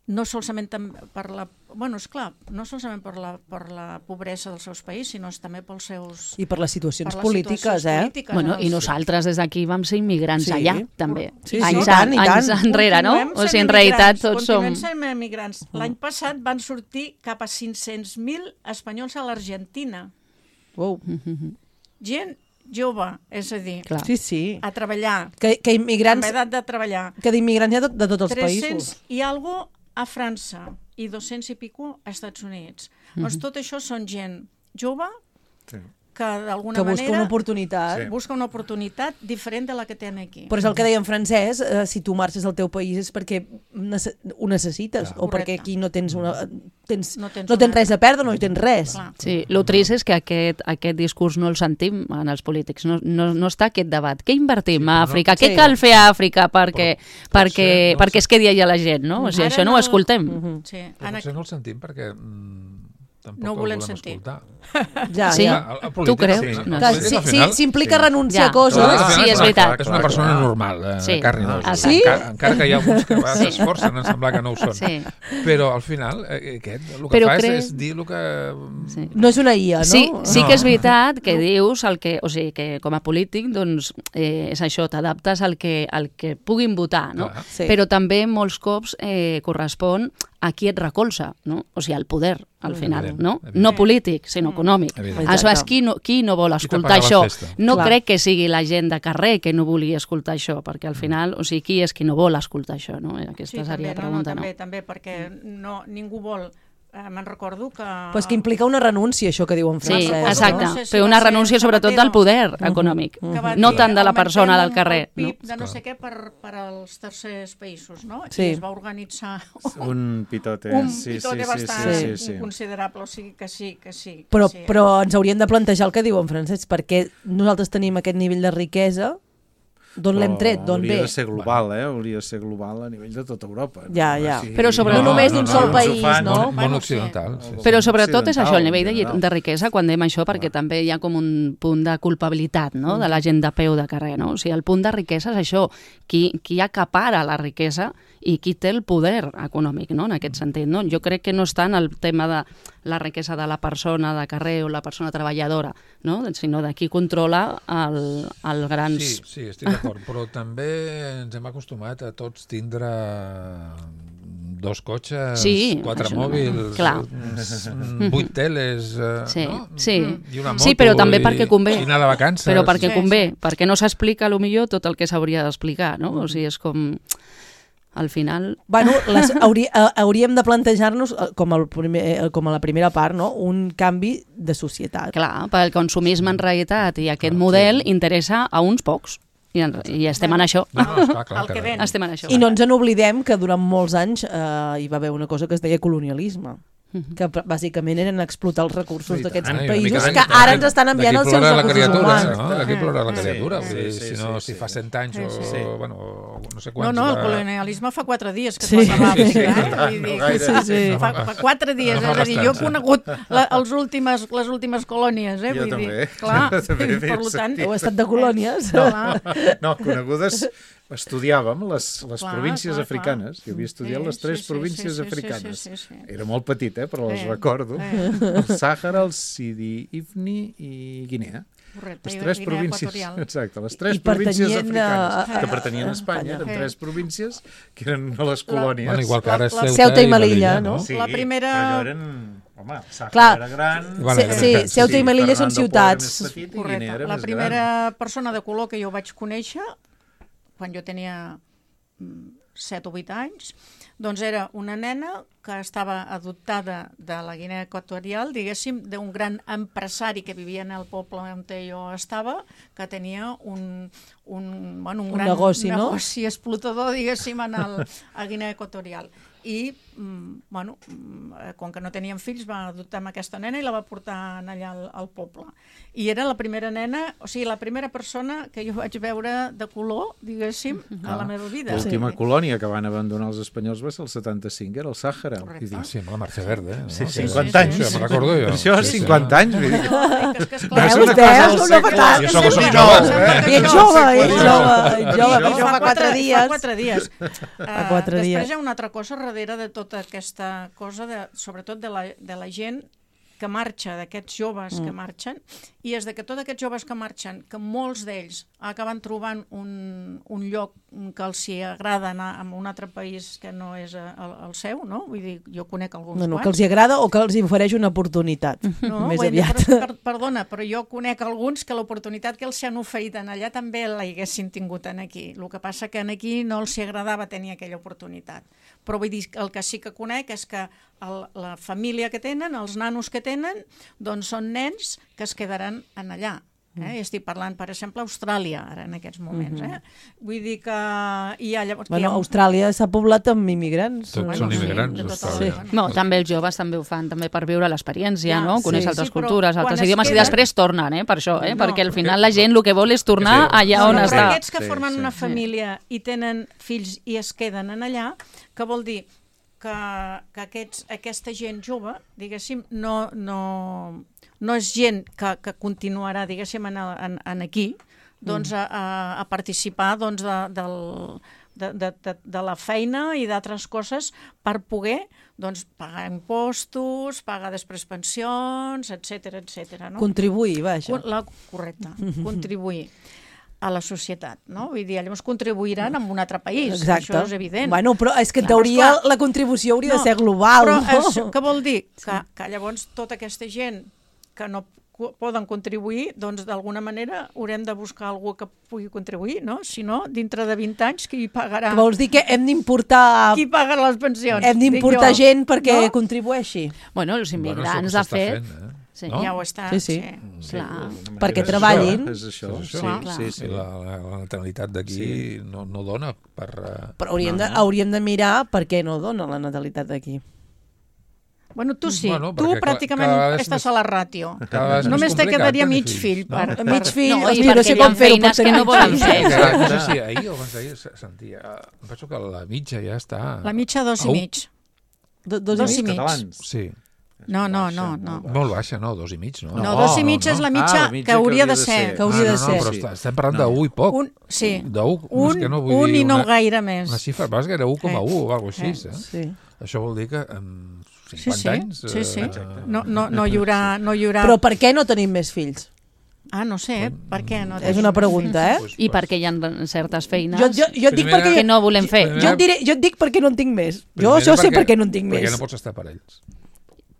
no solament per la... Bueno, esclar, no solament per la, per la pobresa dels seus països, sinó també pels seus... I per les situacions per les polítiques, situacions eh? polítiques, Bueno, en i els- nosaltres des d'aquí vam ser immigrants Sí. allà, també. Sí, sí, anys, i tant, i anys tant. enrere, no? Continuem O sigui, sent en realitat emigrants, tots som... Continuem sent emigrants. L'any passat van sortir cap a cinc-cents mil espanyols a l'Argentina. Wow. Gent jove, és a dir, Clar. Sí, sí. a treballar, Que, que immigrants... amb edat de treballar. Que d'immigrants hi ha de, de tots els tres-cents països. i algo a França i dos-cents i pico a Estats Units. Doncs tot això són gent jove Sí. que d'alguna Que busca manera una oportunitat. Sí. busca una oportunitat diferent de la que tenen aquí. Però és el que deia en francès, eh, si tu marxes del teu país és perquè nece ho necessites, Clar. o perquè Correcte. aquí no tens, una, tens, No no tens tens, no tens una- res a perdre, no hi tens res. Clar. Sí, el trist és que aquest, aquest discurs no el sentim en els polítics, no, no, no està aquest debat. Què invertim Sí, a però no- Àfrica? Sí. Què cal fer a Àfrica perquè, Però perquè, potser no perquè el es quedi allà la gent, no? O sigui, Ara això no ho no- escoltem. Mhm. Sí, Però en potser no el sentim perquè mm, tampoc No ho el volem volem sentir. escoltar. Ja, Sí? ja. El- el Tu polític, creus? sí. No. El Que, polític, si, al si, final, si implica sí. renunciar Ja. a coses... Al final Sí, és una- veritat. És una persona Clar, clar. normal, eh, Sí. carn i os. Ah, sí? Encara, encara que hi ha alguns que Sí. s'esforcen en semblar que no ho són. Sí. Però al final, eh, aquest, el que Però fa és, crec- és dir el que... Sí. No és una I A, no? Sí, sí No. que és veritat que dius el que, o sigui, que com a polític doncs eh, és això, t'adaptes al que al que puguin votar, no? Clar. Sí. Però també molts cops eh, correspon a qui et recolza, no? O sigui, el poder, al final, Evident, no? evident. No polític, sinó econòmic. Evident. Aleshores, qui no, qui no vol escoltar paga la això? festa? No Clar. crec que sigui la gent de carrer que no vulgui escoltar això, perquè al final, o sigui, qui és qui no vol escoltar això, no? Aquesta Sí, seria també, la pregunta, no, no? també, també, perquè no, ningú vol... Eh, me'n recordo que... Però és que implica una renúncia, això que diu en Sí, francès. exacte, No sé si però va una ser renúncia sobretot Zapatero. del poder econòmic, que va no dir, tant de la augmentem persona del el carrer. P I B No? de no sé què per, per als tercers països, no? Sí. I es va organitzar Un pitote. un sí, pitote sí, sí, bastant sí, sí, sí. considerable, o sigui que sí, que sí. Que Però, sí. però ens hauríem de plantejar el que diu en francès, perquè nosaltres tenim aquest nivell de riquesa, d'on l'hem tret, d'on ve? Hauria de ser global, eh? Hauria de ser global a nivell de tota Europa. Ja, ja. O sigui, Però sobre- No només d'un sol uns ho país, fan, no? Món, món occidental. Sí, sí. Però sobretot és això, el nivell de, occidental, de riquesa, quan dèiem això, perquè també hi ha com un punt de culpabilitat, no?, de la gent de peu de carrer, no? O sigui, el punt de riquesa és això, qui, qui acapara la riquesa i qui té el poder econòmic, no?, en aquest sentit, no? Jo crec que no és tant el tema de la riquesa de la persona de carrer o la persona treballadora, no?, sinó de qui controla el, el grans... Sí, sí, estic d'acord, però també ens hem acostumat a tots tindre dos cotxes, Sí, quatre això no- mòbils, clar. mm, vuit teles, eh, Sí, no? sí. I una moto, Sí, però també i, perquè convé. i anar de vacances. Però perquè Sí, convé, perquè no s'explica a lo millor tot el que s'hauria d'explicar, no? O sigui, és com... Al final... Bueno, les, hauri, eh, hauríem de plantejar-nos, eh, com, el primer, eh, com a la primera part, no? un canvi de societat. Clar, pel consumisme en realitat i aquest model interessa a uns pocs. I, en, i estem en això. No, no, esclar, clar, El que que- ven. Estem en això. I no ens n'oblidem que durant molts anys eh, hi va haver una cosa que es deia colonialisme, que pr- bàsicament eren explotar els recursos I d'aquests tant, i una països mica que d'aquí- ara ens estan enviant els d'aquí seus plora la recursos criatura, humans. no? D'aquí plora la Sí, criatura. sí, Vull dir, sí, si no, sí, si sí. fa cent anys o, Sí, sí. bueno, no sé No, quants... no, el va- colonialisme fa quatre dies que Sí. es va acabar. Sí, sí. eh? No tant, Vull no dir, gaire. Sí, sí. Fa, fa quatre dies, No fa és a dir, jo he bastant, sí. conegut la, els últimes, les últimes colònies, eh? Jo Vull també. dir, clar, Jo també per havia tant... sentit. Heu estat de colònies? Clar. No, conegudes, estudiàvem les, les Clar, províncies clar, africanes. Jo havia estudiat Sí, les tres sí, sí, províncies sí, sí, africanes. sí, sí, sí. Era molt petit, eh, però les Sí, recordo. sí. El Sàhara, el Sidi Ifni i Guinea. Correcte, Les i tres Guinea províncies, Equatorial. exacte, les tres I províncies pertanyien a- africanes a- que pertanyien a Espanya, Espanya. eren tres províncies que eren a les La- colònies. Bueno, igual que ara és La- Ceuta, Ceuta i i Melilla, Melilla, no? no? Sí, La primera- però allò eren... Home, el Sàhara Clar. era gran... Bueno, Sí, sí, Ceuta i Melilla són Fernando Poo era ciutats. més petit i Correcte. Guinea era La més primera gran. persona de color que jo vaig conèixer, quan jo tenia set o vuit anys, doncs era una nena que estava adoptada de la Guinea Equatorial, diguéssim, d'un gran empresari que vivia en el poble on jo estava, que tenia un, un, bueno, un, Un gran negoci, no? negoci explotador, diguéssim, en el, a Guinea Equatorial. I, mm, bueno, mm, com que no tenien fills, va adoptar amb aquesta nena i la va portar allà al, al poble. I era la primera nena, o sigui, la primera persona que jo vaig veure de color, diguéssim, a la meva vida. L'última colònia que van abandonar els espanyols va ser el setanta-cinc, era el Sàhara. Correcte. I dic, Ah, sí, amb la Marxa Verda, eh? Sí, No? cinquanta anys. Sí, sí, me'n recordo jo. Això, Sí, sí. cinquanta anys. Vull dir. No, que és que és No clar, és Veus, una cosa veus, del una segle- patada. Jo sóc Sí, un sí, jove. sembla que I ets no, jove, sí, ets sí. jove, ets jove, Això però fa fa quatre dies. Fa quatre dies. Fa quatre Uh, dies. Després hi ha una altra cosa darrere de tota aquesta cosa, de, sobretot de la, de la gent que marxa, d'aquests joves mm. que marxen, i és de que tots aquests joves que marxen, que molts d'ells acaben trobant un, un lloc que els hi agrada anar a un altre país que no és el, el seu, no? Vull dir, jo conec alguns No, no, quants. que els hi agrada o que els hi ofereix una oportunitat, No, més vull dir, aviat. però, per, perdona, però jo conec alguns que l'oportunitat que els han oferit en allà també la haguessin tingut en aquí. El que passa que en aquí no els hi agradava tenir aquella oportunitat. Però vull dir, el que sí que conec és que el, la família que tenen, els nanos que tenen, doncs són nens que es quedaran en allà. Eh? I estic parlant, per exemple, Austràlia, ara en aquests moments. Eh? Vull dir que hi ha llavors... Bueno, hi ha un... Austràlia s'ha poblat amb immigrants. Tots eh? són sí, immigrants, de tot Austràlia. el- No, també els joves també ho fan també per viure l'experiència, Ja, no? Conèixer sí, altres sí, però cultures, quan altres es idiomes, i queden- després tornen, eh? Per això, eh? No, Perquè al final la gent el que vol és tornar Sí. allà on No, està. però aquests que Sí, formen sí. una família i tenen fills i es queden en allà, que vol dir que, que aquests, aquesta gent jove, diguéssim, no, no, no és gent que, que continuarà, diguéssim, en, el- en, en aquí, doncs a, a, a participar doncs, de, del, de, de, de, de la feina i d'altres coses per poder doncs, pagar impostos, pagar després pensions, etcètera, etcètera. No? Contribuir, vaja. Con- La, correcte, contribuir. a la societat, no? Vull dir, llavors contribuiran en un altre país, Exacte. això és evident. Bueno, però és que en Clar, teoria esclar. la contribució hauria No, de ser global, però no? és, què vol dir? Que, que llavors tota aquesta gent que no cu- poden contribuir, doncs d'alguna manera haurem de buscar algú que pugui contribuir, no? Si no, dintre de vint anys, qui pagarà? Que vols dir que hem d'importar... Qui paga les pensions? Hem d'importar Dic jo, gent perquè no? contribueixi. Bueno, els immigrants, de fet... Sí, no? Ja ho està. Sí, sí. sí. Clar. Perquè treballin. És això, És això. sí, Clar. sí, sí. La, la, la natalitat d'aquí Sí. no, no dona per... Uh... Però hauríem, no, de, hauríem de mirar per què no dona la natalitat d'aquí. Bueno, tu sí. Bueno, tu perquè pràcticament cada vegada és estàs més- a la ràtio. cada vegada és més Només te complicat quedaria tenir mig fills, fill. no? Per, Mig per... fill, No, i hosti, perquè no sé hi ha com fer-ho per feines que tenir no mig volen fill. fer. Exacte. No sé si ahir o abans d'ahir se- sentia... Em penso que la mitja ja està... La mitja dos i Au. mig. Do, dos, Dos i i mig. mig. Sí. No, no, no, no. Molt baixa, no? Dos i mig, no? No, dos i mig és la mitja Ah, la mitja que hauria de ser. Que hauria ah, de no, ser. No, però Sí. està- estem parlant d'un i poc. Un, sí. D'un, Un, és que no vull un dir i no una, gaire més. una xifra, però és que era un coma un o alguna cosa així, Eh. eh? Sí. Això vol dir que en Sí, cinquanta sí. anys... Sí, sí. eh, No, no, no hi haurà... No hi haurà... Però per què no tenim més fills? Ah, no sé, per què no? És una pregunta, eh? I perquè hi ha certes feines Jo, jo, jo et dic Primera- perquè... que no volem fer. Primera- Jo et, diré, jo et dic perquè no en tinc més. Jo primera això sé perquè- per què no en tinc Perquè més. no pots estar per ells.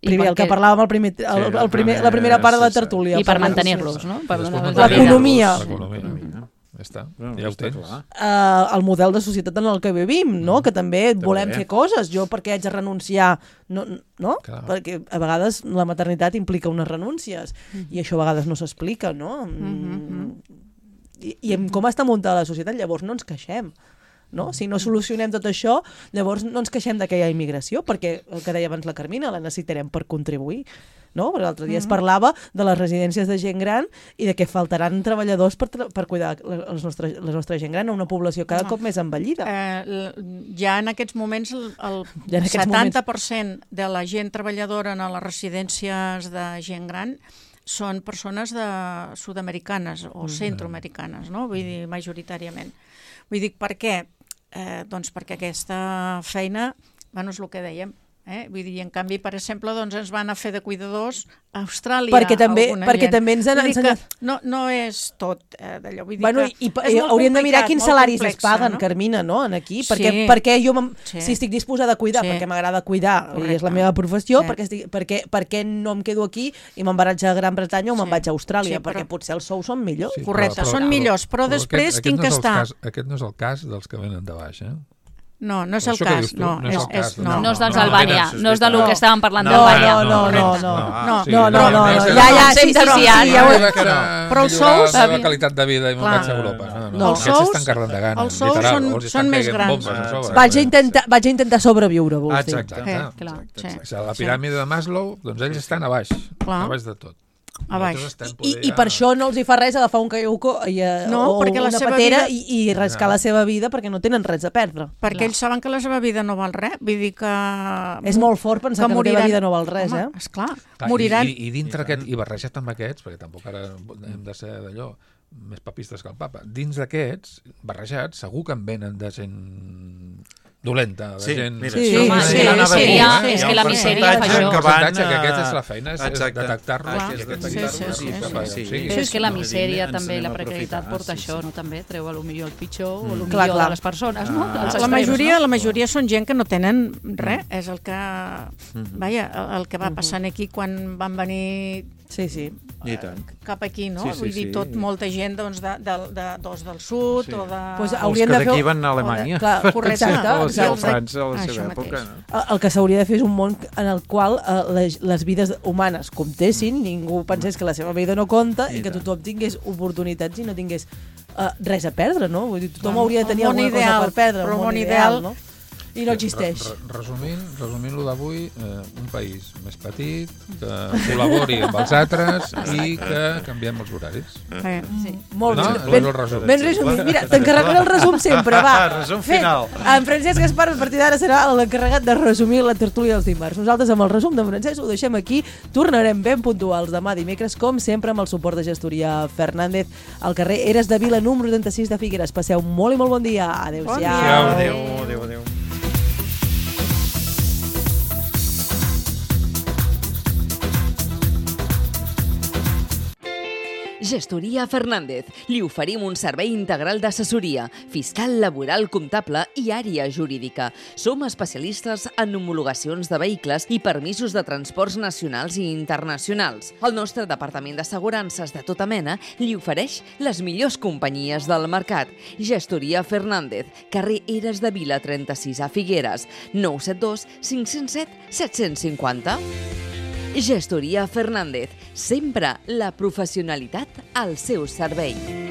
I Primer, el que perquè- parlàvem al primer, el, Sí, el primer, la la primera part de la sí, sí. tertúlia. I per Parlar- mantenir-los, no? Per I després donar-los mantenir-los, L'economia. L'economia. Ja està. Bueno, Ja ho està tens. clar. Uh, el model de societat en el que vivim, no? Que també volem També. fer coses. Jo per què haig de renunciar? No? no? Clar. Perquè a vegades la maternitat implica unes renúncies i això a vegades no s'explica, no? Mm. I, I amb com està muntada la societat, llavors no ens queixem. No? Si no solucionem tot això, llavors no ens queixem de que hi ha immigració, perquè el que deia abans la Carmina, la necessitarem per contribuir. No? Perquè l'altre dia es parlava de les residències de gent gran i de que faltaran treballadors per, tra per cuidar els nostres, la nostra gent gran a una població cada No. cop més envellida. Eh, l- ja en aquests moments el, el Ja en aquests setanta per cent de la gent treballadora en les residències de gent gran són persones de sud-americanes o centroamericanes, no? Vull dir, majoritàriament. Vull dir, per què? Eh, doncs perquè aquesta feina, bueno, és el que dèiem, eh? Vull dir, en canvi, per exemple, doncs ens van a fer de cuidadors a Austràlia. Perquè també- alguna perquè gent. també ens han Vull dir que ensenyat- No, no és tot eh, d'allò. Vull dir Bueno, que i, és i molt hauríem de mirar complicat, quins molt salaris complexa, es paguen, no? Carmina, no? En aquí, Sí. perquè, perquè jo, Sí. si estic disposada a cuidar, Sí. perquè m'agrada cuidar, i és la Correcte. meva professió, Sí. perquè, estic, perquè, perquè no em quedo aquí i me'n vaig a Gran Bretanya o me'n Sí. vaig a Austràlia, Sí, però- perquè potser els sous són millors. Sí, Correcte, són millors, però després aquest, tinc aquest que no és el estar- Cas, aquest no és el cas dels que venen de baix, eh? No, no és el Això que cas. dius tu, No, no és és, el cas, és, no. no. No és dels No, Albània, no, no és del no. que estàvem parlant No, d'Albània. no, no, no, no. No, sí, no, no, però- no, no, és- ja, ja, sí, sí, sí, Denunciat. ja ho Jo he... vaig a Però els millorar sous- la meva qualitat de vida i me'n Clar. vaig a Europa. No, no, No. aquests Els sous- estan carregant de gana, els sous literal. són- o els estan són més caient grans. bombes a sobre. Vaig a intentar, vaig a intentar sobreviure, vols Ah, dir. exacte. Eh, Exacte. clar, sí. O sigui, la piràmide de Maslow, doncs ells estan a baix, Clar. a baix de tot. A baix. Nosaltres estem I, poder I per ja- això no els hi fa res agafar un caiuco i, eh, No, o perquè la una seva patera vida- i, i rascar la seva vida perquè no tenen res a perdre. Perquè ells saben que la seva vida no val res. Vull dir que... És molt fort pensar que, que la teva vida no val res, Home, eh? Esclar, Clar, moriran. I, i, i dintre aquest, i barrejat amb aquests, perquè tampoc ara hem de ser d'allò més papistes que el papa, dins d'aquests, barrejats, segur que en venen de gent dolenta, de Sí, gent... mira, Sí, això sí, anava sí, a dir, anava a dir, misèria, eh? és Hi ha que un la misèria fa percentatge això. que van Percentatge que a- aquesta és la feina, és, és Exacte. detectar-los Clar. i Sí, detectar-los sí, sí, i sí, cap a- sí, sí. sí. Però és que la Sí, misèria ens també, anem la a precarietat aprofitar, porta sí, això, sí. no? També treu a lo millor el pitjor o el Clar, millor clar. de les persones, no? Dels La extrems, majoria, no? la majoria són gent que no tenen res. És el que... Vaja, el, el que va passant aquí quan van venir Sí, sí. I tant. cap aquí, no? Sí, sí, Vull dir, sí. tot, molta gent doncs, de, de, de, doncs, del sud Sí. o de... Pues Els hauríem que de fer- d'aquí van a o de- Alemanya. Clar, correcte, O exacte, o exacte. França a la Ah, seva això època. mateix. No? El que s'hauria de fer és un món en el qual eh, les, les vides humanes comptessin, ningú pensés que la seva vida no compta i, I que tant. tothom tingués oportunitats i no tingués uh, res a perdre, no? Vull dir, tothom Clar, hauria de el tenir món alguna ideal, cosa per perdre, però el el món món ideal, ideal- no? I no existeix. Re, re, resumint, resumint-lo d'avui, eh, un país més petit, que col·labori amb els altres i que canviem els horaris. Eh, Sí. Molt No? bé. És Ben, el resum. ben resumit. Mira, t'encarregaré el resum sempre, va. Resum Fet. final. En Francesc Gaspar, a partir d'ara, serà l'encarregat de resumir la tertúlia dels dimarts. Nosaltres, amb el resum de Francesc, ho deixem aquí. Tornarem ben puntuals demà dimecres, com sempre, amb el suport de gestoria Fernández al carrer Eres de Vila, número trenta-sis de Figueres. Passeu molt i molt bon dia. Adéu-siau. Bon dia. Adéu, adéu, adéu. Gestoria Fernández. Li oferim un servei integral d'assessoria, fiscal, laboral, comptable i àrea jurídica. Som especialistes en homologacions de vehicles i permisos de transports nacionals i internacionals. El nostre departament d'assegurances de tota mena li ofereix les millors companyies del mercat. Gestoria Fernández, carrer Eres de Vila trenta-sis a Figueres, nou set dos cinc zero set set cinc zero. Gestoria Fernández, sempre la professionalitat al seu servei.